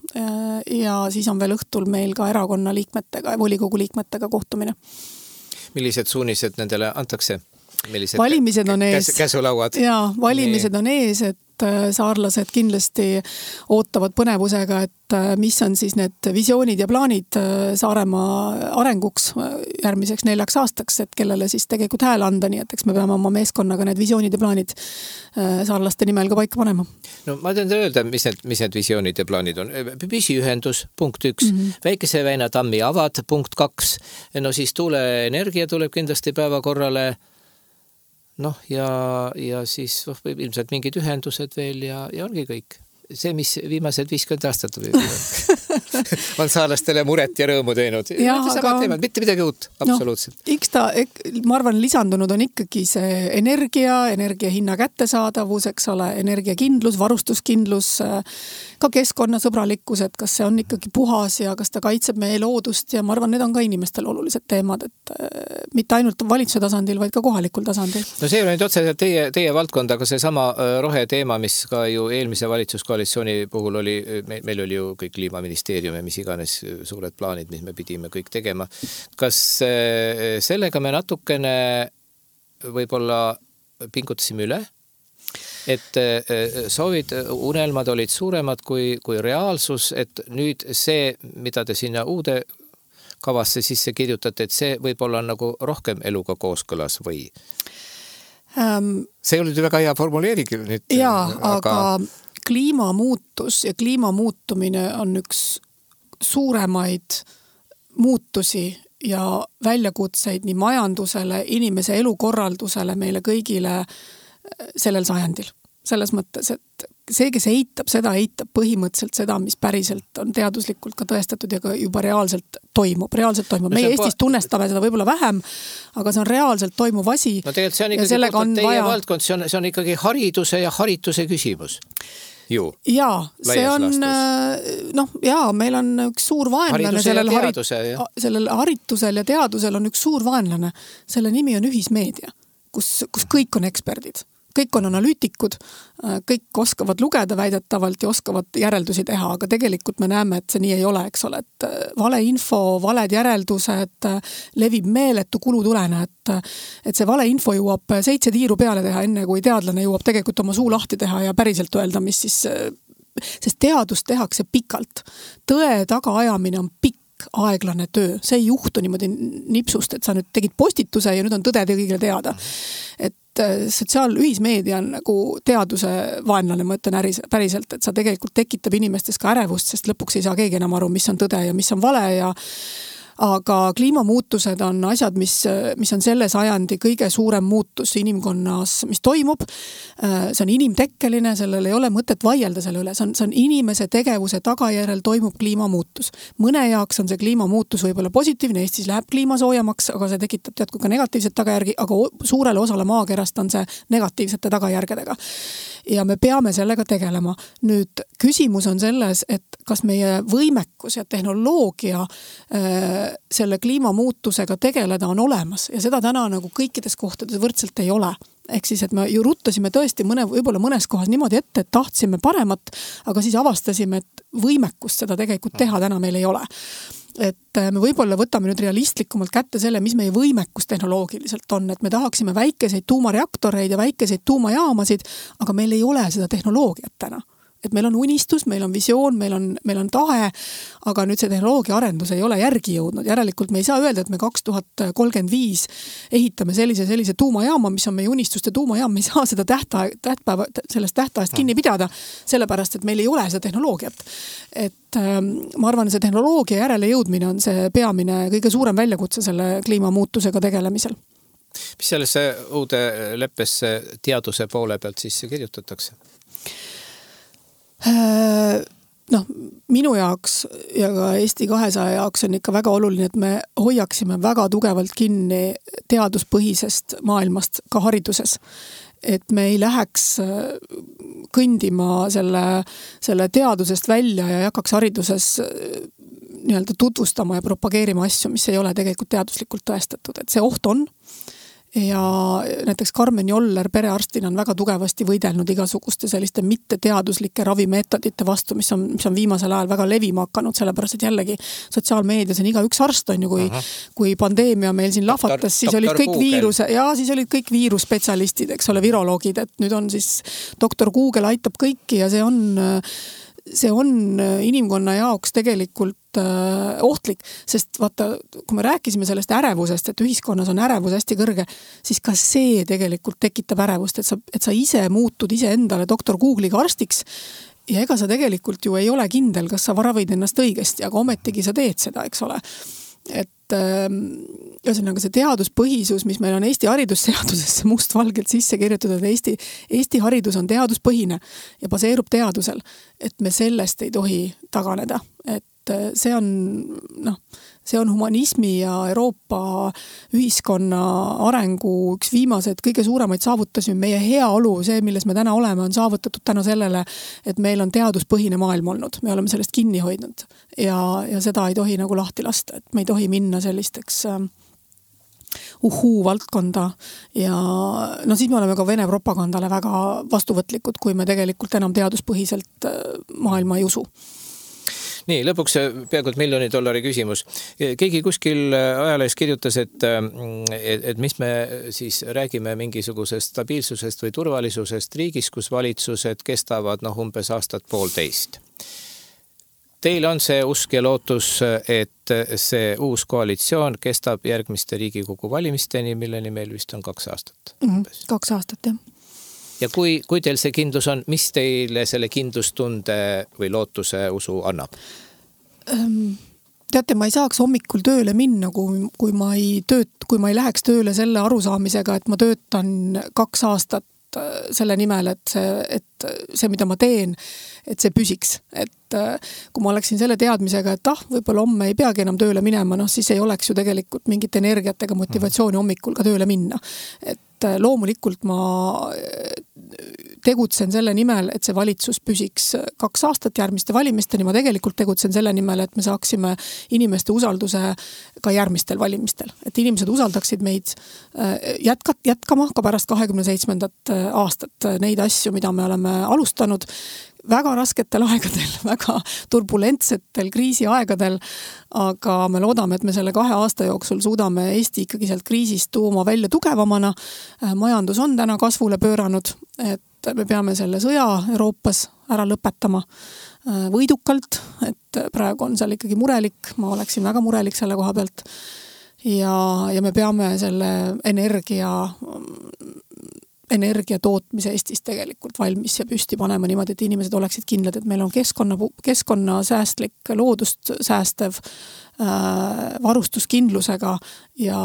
ja siis on veel õhtul meil ka erakonna liikmetega ja volikogu liikmetega kohtumine. Millised suunised nendele antakse? Valimised on ees. Käsulauad? Jaa, valimised on ees, et saarlased kindlasti ootavad põnevusega, et mis on siis need visioonid ja plaanid Saaremaa arenguks järgmiseks 4 aastaks, et kellele siis tegelikult hääl anda, nii et eks me peame oma meeskonnaga need visioonid ja plaanid saarlaste nimel ka paika panema. No ma tean öelda, mis need visioonid ja plaanid on. Püsiühendus, punkt 1, Väikese väina tammi avad, punkt 2, no siis tuuleenergia tuleb kindlasti päevakorrale. Ja siis ilmselt mingid ühendused veel ja ongi kõik. See, mis viimased 50 aastat on saarlastele muret ja rõõmu teinud. Mitte midagi uut, absoluutselt. Ma arvan, lisandunud on ikkagi see energia hinna kättesaadavus, eks ole, energiakindlus, varustuskindlus, ka keskkonnasõbralikkus, et kas see on ikkagi puhas ja kas ta kaitseb meie loodust ja ma arvan, need on ka inimestel olulised teemad, et mitte ainult valitsuse tasandil, vaid ka kohalikul tasandil. No see on nüüd otseselt teie valdkond, aga see sama roheteema, mis ka ju eelmise valitsuskoalitsiooni puhul oli, meil oli ju kõik kliimaministeerium ja mis iganes suured plaanid, mis me pidime kõik tegema. Kas sellega me natukene võib-olla pingutasime üle? Et soovid, unelmad olid suuremad kui reaalsus, et nüüd see, mida te sinna uude kavasse sisse kirjutate, et see võib-olla nagu rohkem eluga kooskõlas või? See oli väga hea formuleering nüüd. Jaa, aga kliimamuutus ja kliimamuutumine on üks suuremaid muutusi ja väljakutseid nii majandusele, inimese elukorraldusele, meile kõigile sellel sajandil. Selles mõttes, et see, kes eitab põhimõtteliselt seda, mis päriselt on teaduslikult ka tõestatud ja ka juba reaalselt toimub. Meie Eestis tunnestame seda võib-olla vähem, aga see on reaalselt toimuv asi. No tegelikult see on ikkagi teie valdkond, see on ikkagi hariduse ja harituse küsimus. Jaa, see on, meil on üks suur vaenlane sellel haritusel ja teadusel on üks suur vaenlane. Selle nimi on ühismeedia, kus kõik on eksperdid. kõik on analüütikud, kõik oskavad lugeda väidetavalt ja oskavad järeldusi teha, aga tegelikult me näeme, et see nii ei ole, eks ole, et valeinfo, valed järeldused levib meeletu kulutulena, et see valeinfo jõuab 7 tiiru peale teha, enne kui teadlane jõuab tegelikult oma suu lahti teha ja päriselt öelda, mis siis, sest teadust tehakse pikalt. Tõe tagaajamine on pikk, aeglane töö. See ei juhtu niimoodi nipsust, et sa nüüd tegid postituse ja nüüd on tõde kõigile teada. Et sotsiaalühismeedia on nagu teaduse vaenlane, ma ütlen päriselt, et sa tegelikult tekitab inimestes ka ärevust, sest lõpuks ei saa keegi enam aru, mis on tõde ja mis on vale aga kliimamuutused on asjad, mis on selle sajandi kõige suurem muutus inimkonnas, mis toimub. See on inimtekkeline, sellel ei ole mõtet vaielda selle üle. See on inimese tegevuse tagajärjel toimub kliimamuutus. Mõne jaoks on see kliimamuutus võib-olla positiivne, Eestis läheb kliima soojamaks, aga see tekitab teadku ka negatiivset tagajärgi, aga suurele osale maakerast on see negatiivsete tagajärgedega. Ja me peame sellega tegelema. Nüüd küsimus on selles, et kas meie võimekus ja tehnoloogia selle kliimamuutusega tegeleda on olemas ja seda täna nagu kõikides kohtades võrdselt ei ole. Ehk siis, et me ju ruttasime tõesti võib-olla mõnes kohas niimoodi ette, et tahtsime paremat, aga siis avastasime, et võimekust seda tegelikult teha täna meil ei ole. Et me võib-olla võtame nüüd realistlikumalt kätte selle, mis meie võimekus tehnoloogiliselt on, et me tahaksime väikeseid tuumareaktoreid ja väikeseid tuumajaamasid, aga meil ei ole seda tehnoloogiat täna. Et meil on unistus, meil on visioon, meil on tahe, aga nüüd see tehnoloogia arendus ei ole järgi jõudnud. Järelikult me ei saa öelda, et me 2035 ehitame sellise tuumajaama, mis on meie unistuste tuumajaam, me ei saa seda sellest tähtajast kinni pidada, sellepärast, et meil ei ole seda tehnoloogiat. Et ma arvan, see tehnoloogia järele jõudmine on see peamine kõige suurem väljakutse selle kliimamuutusega tegelemisel. Mis sellesse uude leppesse teaduse poole pealt sisse kirjutatakse? Minu jaoks ja ka Eesti 200 jaoks on ikka väga oluline, et me hoiaksime väga tugevalt kinni teaduspõhisest maailmast ka hariduses. Et me ei läheks kõndima selle teadusest välja ja ei hakkaks hariduses nii-öelda tutvustama ja propageerima asju, mis ei ole tegelikult teaduslikult tõestatud. Et see oht on. Ja näiteks Karmen Joller perearstina on väga tugevasti võidelnud igasuguste selliste mitteteaduslike ravimeetodite vastu, mis on viimasel ajal väga levima hakanud, sellepärast et jällegi sotsiaalmeedias on iga üks arst on ju, kui pandeemia meil siin lahvatas, siis olid kõik viirusspetsialistid, eks ole, viroloogid, et nüüd on siis doktor Google aitab kõiki ja see on inimkonna jaoks tegelikult ohtlik, sest vaata, kui me rääkisime sellest ärevusest, et ühiskonnas on ärevus hästi kõrge, siis ka see tegelikult tekitab ärevust, et sa ise muutud ise endale doktor Google'iga arstiks ja ega sa tegelikult ju ei ole kindel, kas sa varavid ennast õigesti, aga ometigi sa teed seda, eks ole. Et ühesõnaga see teaduspõhisus, mis meil on Eesti haridusseadusesse mustvalgelt sisse kirjutatud, et Eesti haridus on teaduspõhine ja baseerub teadusel, et me sellest ei tohi taganeda. Et see on humanismi ja Euroopa ühiskonna arengu üks viimased kõige suuremaid saavutusi. Meie heaolu, see, milles me täna oleme, on saavutatud tänu sellele, et meil on teaduspõhine maailm olnud. Me oleme sellest kinni hoidnud ja seda ei tohi nagu lahti lasta, et me ei tohi minna sellisteks valdkonda ja siis me oleme ka Vene propagandale väga vastuvõtlikud, kui me tegelikult enam teaduspõhiselt maailma ei usu. Nii, lõpuks peaaegu $1 miljoni küsimus. Keegi kuskil ajalehes kirjutas, et mis me siis räägime mingisugusest stabiilsusest või turvalisusest riigis, kus valitsused kestavad umbes aastat 1,5. Teil on see usk ja lootus, et see uus koalitsioon kestab järgmiste Riigikogu valimisteni, milleni meil vist on 2 aastat. 2 aastat, jah. Ja kui teil see kindlus on, mis teile selle kindlustunde või lootuse usu annab? Teate, ma ei saaks hommikul tööle minna, kui ma ei läheks tööle selle arusaamisega, et ma töötan 2 aastat selle nimel, et see, mida ma teen, et see püsiks. Et kui ma oleksin selle teadmisega, et võib-olla homme ei peagi enam tööle minema, siis ei oleks ju tegelikult mingit energiat ega motivatsiooni hommikul ka tööle minna. Et loomulikult ma tegutsen selle nimel, et see valitsus püsiks 2 aastat järgmiste valimisteni. Ma tegelikult tegutsen selle nimel, et me saaksime inimeste usalduse ka järgmistel valimistel. Et inimesed usaldaksid meid jätkama ka pärast 27. aastat neid asju, mida me oleme alustanud väga rasketel aegadel, väga turbulentsetel kriisiaegadel, aga me loodame, et me selle 2 aasta jooksul suudame Eesti ikkagi sealt kriisist tuuma välja tugevamana. Majandus on täna kasvule pööranud, et me peame selle sõja Euroopas ära lõpetama võidukalt, et praegu on seal ikkagi murelik, ma oleksin väga murelik selle koha pealt ja me peame selle energia tootmise Eestis tegelikult valmis ja püsti panema niimoodi, et inimesed oleksid kindlad, et meil on keskkonnasäästlik, loodust säästev, varustuskindlusega ja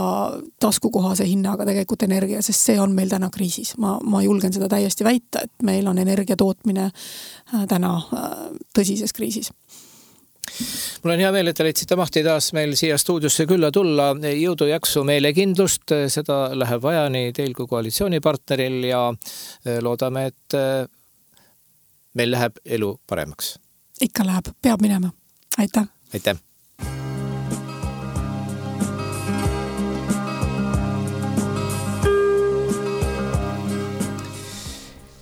taskukohase hinnaga tegelikult energia, sest see on meil täna kriisis. Ma julgen seda täiesti väita, et meil on energia tootmine täna tõsises kriisis. Mul on hea meel, et te leidsite mahti taas meil siia stuudiosse külla tulla. Jõudu, jaksu, meelekindlust, seda läheb vaja nii teil kui koalitsioonipartneril ja loodame, et meil läheb elu paremaks. Ikka läheb, peab minema. Aitäh! Aitäh!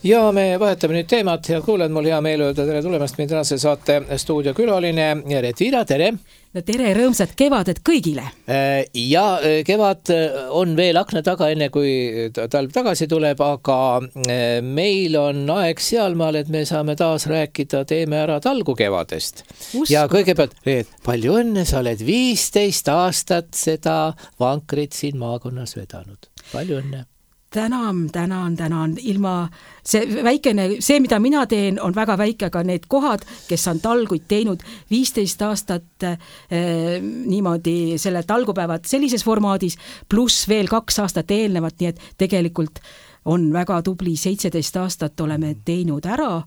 Ja me vahetame nüüd teemat ja kuulen, mul hea meel öelda tere tulemast meie tänase saate stuudiokülaline Reet Viira, tere! No tere, rõõmsat kevadet kõigile! Ja kevad on veel akna taga enne, kui talv tagasi tuleb, aga meil on aeg sealmaal, et me saame taas rääkida Teeme ära talgu kevadest. Ja kõigepealt, Reet, palju õnne, sa oled 15 aastat seda vankrit siin maakonnas vedanud. Palju õnne! Tänan. Ilma see, mida mina teen, on väga väike, aga need kohad, kes on talguid teinud 15 aastat niimoodi selle talgupäevad sellises formaadis, pluss veel 2 aastat eelnevat, nii et tegelikult on väga tubli 17 aastat oleme teinud ära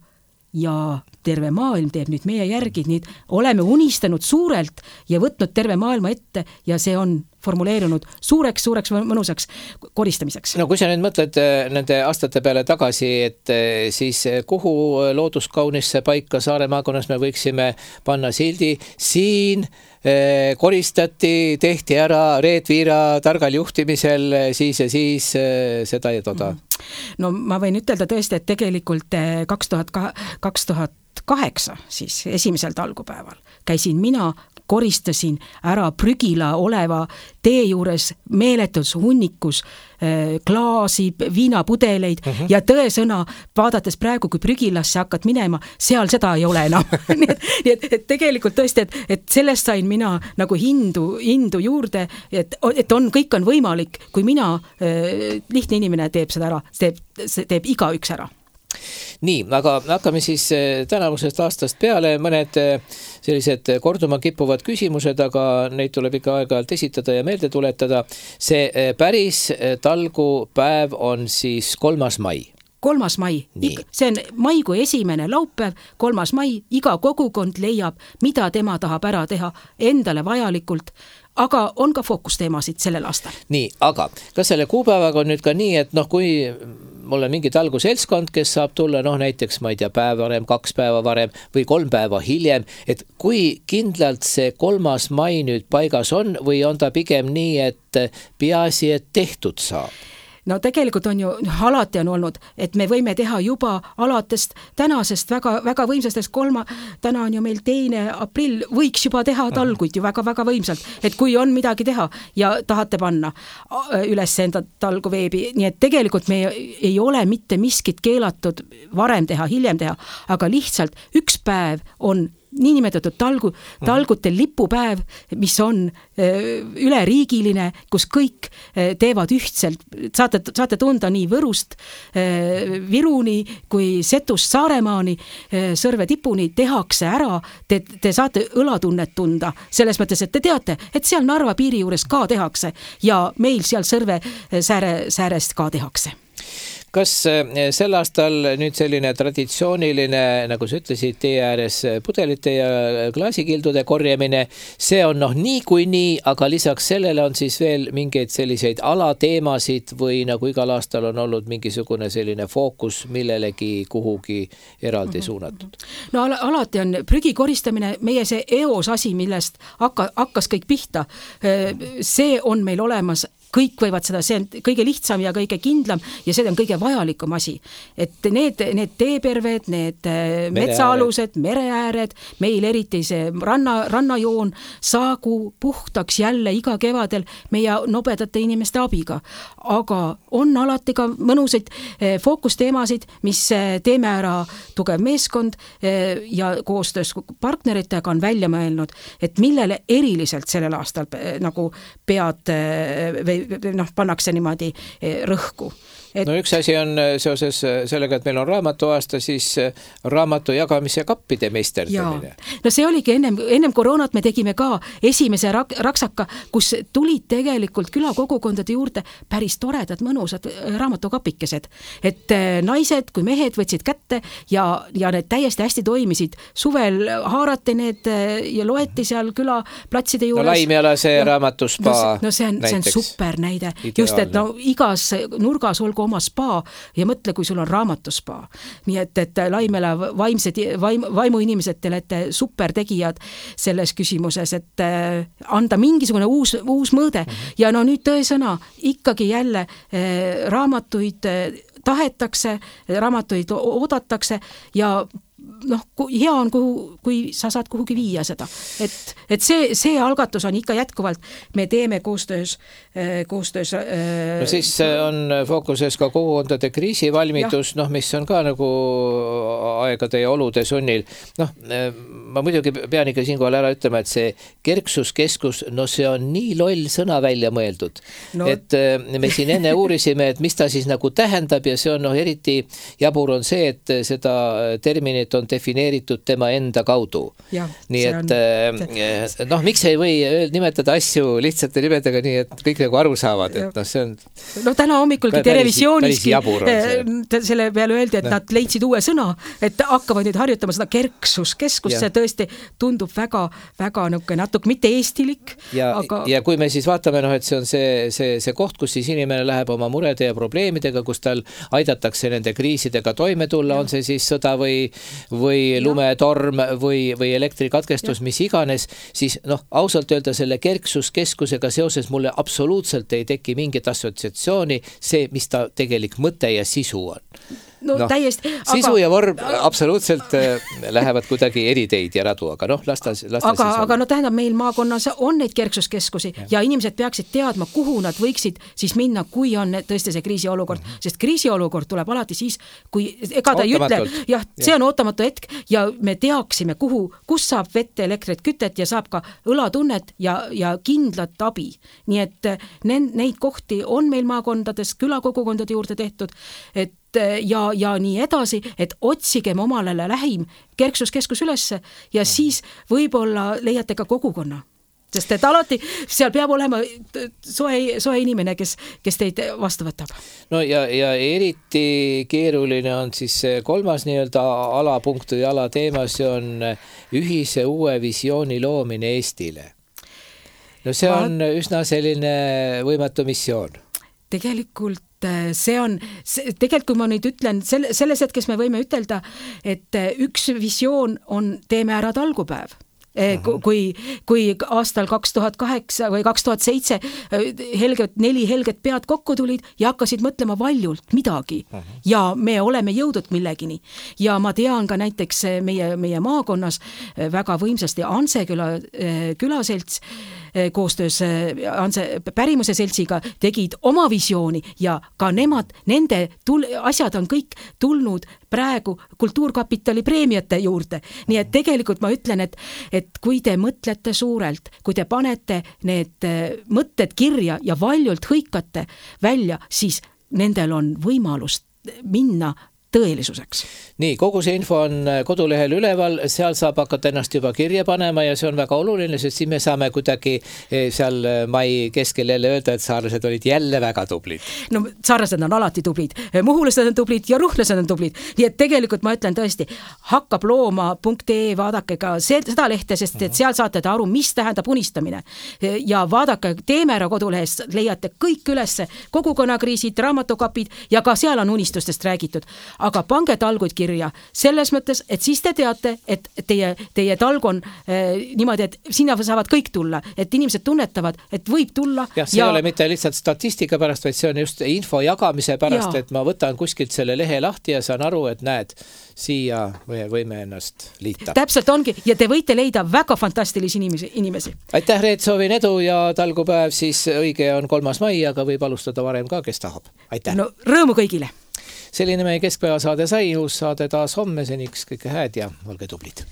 ja terve maailm teeb nüüd meie järgi, nii oleme unistanud suurelt ja võtnud terve maailma ette ja see on formuleerunud suureks mõnusaks koristamiseks. No kui sa nüüd mõtled nende aastate peale tagasi, et siis kuhu looduskaunisse paika Saare maakonnas me võiksime panna sildi, siin koristati, tehti ära Reet Viira targal juhtimisel siis ja siis seda ja toda. No ma võin ütelda tõesti, et tegelikult 2008 siis esimesel talgupäeval käisin mina, koristasin ära prügila oleva tee juures meeletus hunnikus klaasi, viinapudeleid ja tõesõna, vaadates praegu, kui prügilasse hakkad minema, seal seda ei ole enam. nii et tegelikult tõesti, et sellest sain mina nagu hindu juurde, et kõik on võimalik, kui mina, lihtne inimene teeb seda ära, teeb igaüks ära. Nii, aga hakkame siis tänavusest aastast peale, mõned sellised korduma kippuvad küsimused, aga neid tuleb ikka aeg-ajalt esitada ja meelde tuletada. See päris talgupäev on siis 3. mai. 3. mai, see on maikuu esimene laupäev, 3. mai, iga kogukond leiab, mida tema tahab ära teha endale vajalikult, aga on ka fookusteemasid sellel aastal. Nii, aga kas selle kuupäevaga on nüüd ka nii, et kui mul on mingi talguseltskond, kes saab tulla näiteks, ma ei tea, päev varem, 2 päeva varem või 3 päeva hiljem, et kui kindlalt see 3. mai nüüd paigas on või on ta pigem nii, et peaasi, et tehtud saab? No tegelikult on ju, alati on olnud, et me võime teha juba alatest tänasest väga võimsastest täna on ju meil 2. aprill, võiks juba teha talguid ju väga võimsalt, et kui on midagi teha ja tahate panna üles enda talgu veebi, nii et tegelikult me ei ole mitte miskit keelatud varem teha, hiljem teha, aga lihtsalt üks päev on niinimetatud talgute lipupäev, mis on üleriigiline, kus kõik teevad ühtselt. Saate tunda nii Võrust, Viruni kui Setust Saaremaani, Sõrve tipuni tehakse ära. Te saate õlatunnet tunda selles mõttes, et te teate, et seal Narva piiri juures ka tehakse ja meil seal Sõrve säärest ka tehakse. kas sel aastal nüüd selline traditsiooniline, nagu sa ütlesid, tee ääres pudelite ja klaasikildude korjamine, see on niikuinii, aga lisaks sellele on siis veel mingeid selliseid alateemasid või nagu igal aastal on olnud mingisugune selline fookus millelegi kuhugi eraldi suunatud? No alati on prügi koristamine meie see eos asi, millest hakkas kõik pihta. See on meil olemas, kõik võivad seda, see on kõige lihtsam ja kõige kindlam ja see on kõige vajalikum asi. Et need teeperved, need metsaalused, mereääred, meil eriti see rannajoon saagu puhtaks jälle iga kevadel meie nobedate inimeste abiga. Aga on alati ka mõnusaid fookusteemasid, mis teeme ära tugev meeskond ja koostöös partneritega on välja mõelnud, et millele eriliselt sellel aastal nagu pead või pannakse niimoodi rõhku. No üks asi on seoses sellega, et meil on raamatuaasta, siis raamatu jagamise kappide meisterdamine. No see oligi ennem koroonat me tegime ka esimese raksaka, kus tulid tegelikult külakogukondade juurde päris toredad, mõnusad raamatukapikesed. Et naised kui mehed võtsid kätte ja need täiesti hästi toimisid. Suvel haarati need ja loeti seal külaplatside juures. No Laimjala see raamatuspa no see on super näide. Ideaalne. Just, et igas nurgas olgu oma spa ja mõtle, kui sul on raamatuspa. Nii et Laimela vaimuinimesed te olete super tegijad selles küsimuses, et anda mingisugune uus mõõde. Ja nüüd tõesõna ikkagi jälle raamatuid tahetakse, raamatuid oodatakse ja hea on, kui sa saad kuhugi viia seda. Et see algatus on ikka jätkuvalt, me teeme koostöös no siis on fookuses ka kogukondade kriisivalmidus, mis on ka nagu aegade ja olude sunnil. Ma muidugi pean ikka siinkohal ära ütlema, et see kerksuskeskus, see on nii loll sõna välja mõeldud. Et me siin enne uurisime, et mis ta siis nagu tähendab ja see on eriti jabur on see, et seda terminit on defineeritud tema enda kaudu. Nii et miks ei või nimetada asju lihtsate nimedega nii, et kõik nagu aru saavad, et see on täna hommikulgi televisiooniski selle peale öeldi, et nad leidsid uue sõna, et hakkavad nüüd harjutama seda kerksuskeskust, see tõesti tundub väga natuke mitte eestilik. Ja kui me siis vaatame, et see on see koht, kus siis inimene läheb oma murede ja probleemidega, kus tal aidatakse nende kriisidega toime tulla, on see siis sõda või lumetorm või elektrikatkestus, mis iganes, siis ausalt öelda selle kerksuskeskusega seoses mulle absoluutselt ei teki mingit assotsiatsiooni see, mis ta tegelik mõte ja sisu on. Täiesti. Sisu ja vorm absoluutselt lähevad kuidagi eri teid ja radu, aga aga tähendab, meil maakonnas on neid kerksuskeskusi ja inimesed peaksid teadma, kuhu nad võiksid siis minna, kui on tõesti see kriisiolukord, sest kriisiolukord tuleb alati siis, kui ega ta ei ütle, see on ootamatu hetk ja me teaksime, kus saab vett, elektrit, kütet ja saab ka õlatunnet ja kindlat abi. Nii et neid kohti on meil maakondades, külakogukondade juurde tehtud, et ja nii edasi, et otsigem omalele lähim kerksuskeskus ülesse ja siis võib-olla leiate ka kogukonna. Sest et alati seal peab olema soe inimene, kes teid vastu võtab. No ja eriti keeruline on siis kolmas nii-öelda alapunkt või alateema, see on ühise uue visiooni loomine Eestile. No see on üsna selline võimatu missioon. Tegelikult tegelikult, kui ma nüüd ütlen, selles hetkes me võime ütelda, et üks visioon on teeme ära talgupäev. Kui aastal 2008 või 2007 4 helget pead kokku tulid ja hakkasid mõtlema valjult midagi ja me oleme jõudnud millegini. Ja ma tean ka näiteks meie maakonnas väga võimsasti Anseküla külaselts koostöös Pärimuse seltsiga tegid oma visiooni ja ka nende asjad on kõik tulnud praegu Kultuurkapitali preemiate juurde. Nii et tegelikult ma ütlen, et kui te mõtlete suurelt, kui te panete need mõtted kirja ja valjult hõikate välja, siis nendel on võimalus minna tõelisuseks. Nii, kogu see info on kodulehel üleval, seal saab hakata ennast juba kirja panema ja see on väga oluline, sest siis me saame kuidagi seal mai keskel jälle öelda, et saarlased olid jälle väga tublid. No saarlased on alati tublid, muhulased on tublid ja ruhlased on tublid. Nii et tegelikult ma ütlen tõesti, hakkablooma.ee, vaadake ka seda lehte, sest et seal saate te aru, mis tähendab unistamine. Ja vaadake Teemera kodulehest, leiate kõik ülesse, kogukonnakriisid, raamatukapid ja ka seal on unistustest räägitud. Aga pange talguid kirja selles mõttes, et siis te teate, et teie talg on niimoodi, et sinna saavad kõik tulla, et inimesed tunnetavad, et võib tulla. Ja see ei ole mitte lihtsalt statistika pärast, vaid see on just info jagamise pärast, et ma võtan kuskilt selle lehe lahti ja saan aru, et näed, siia võime ennast liita. Täpselt ongi ja te võite leida väga fantastilisi inimesi. Aitäh, Reet, soovin edu ja talgupäev siis õige on 3. mai, aga võib alustada varem ka, kes tahab. Aitäh! No rõõmu kõigile! Selline meie keskpäeva saade sai, uus saade taas homme, seniks kõike hääd ja olge tublid!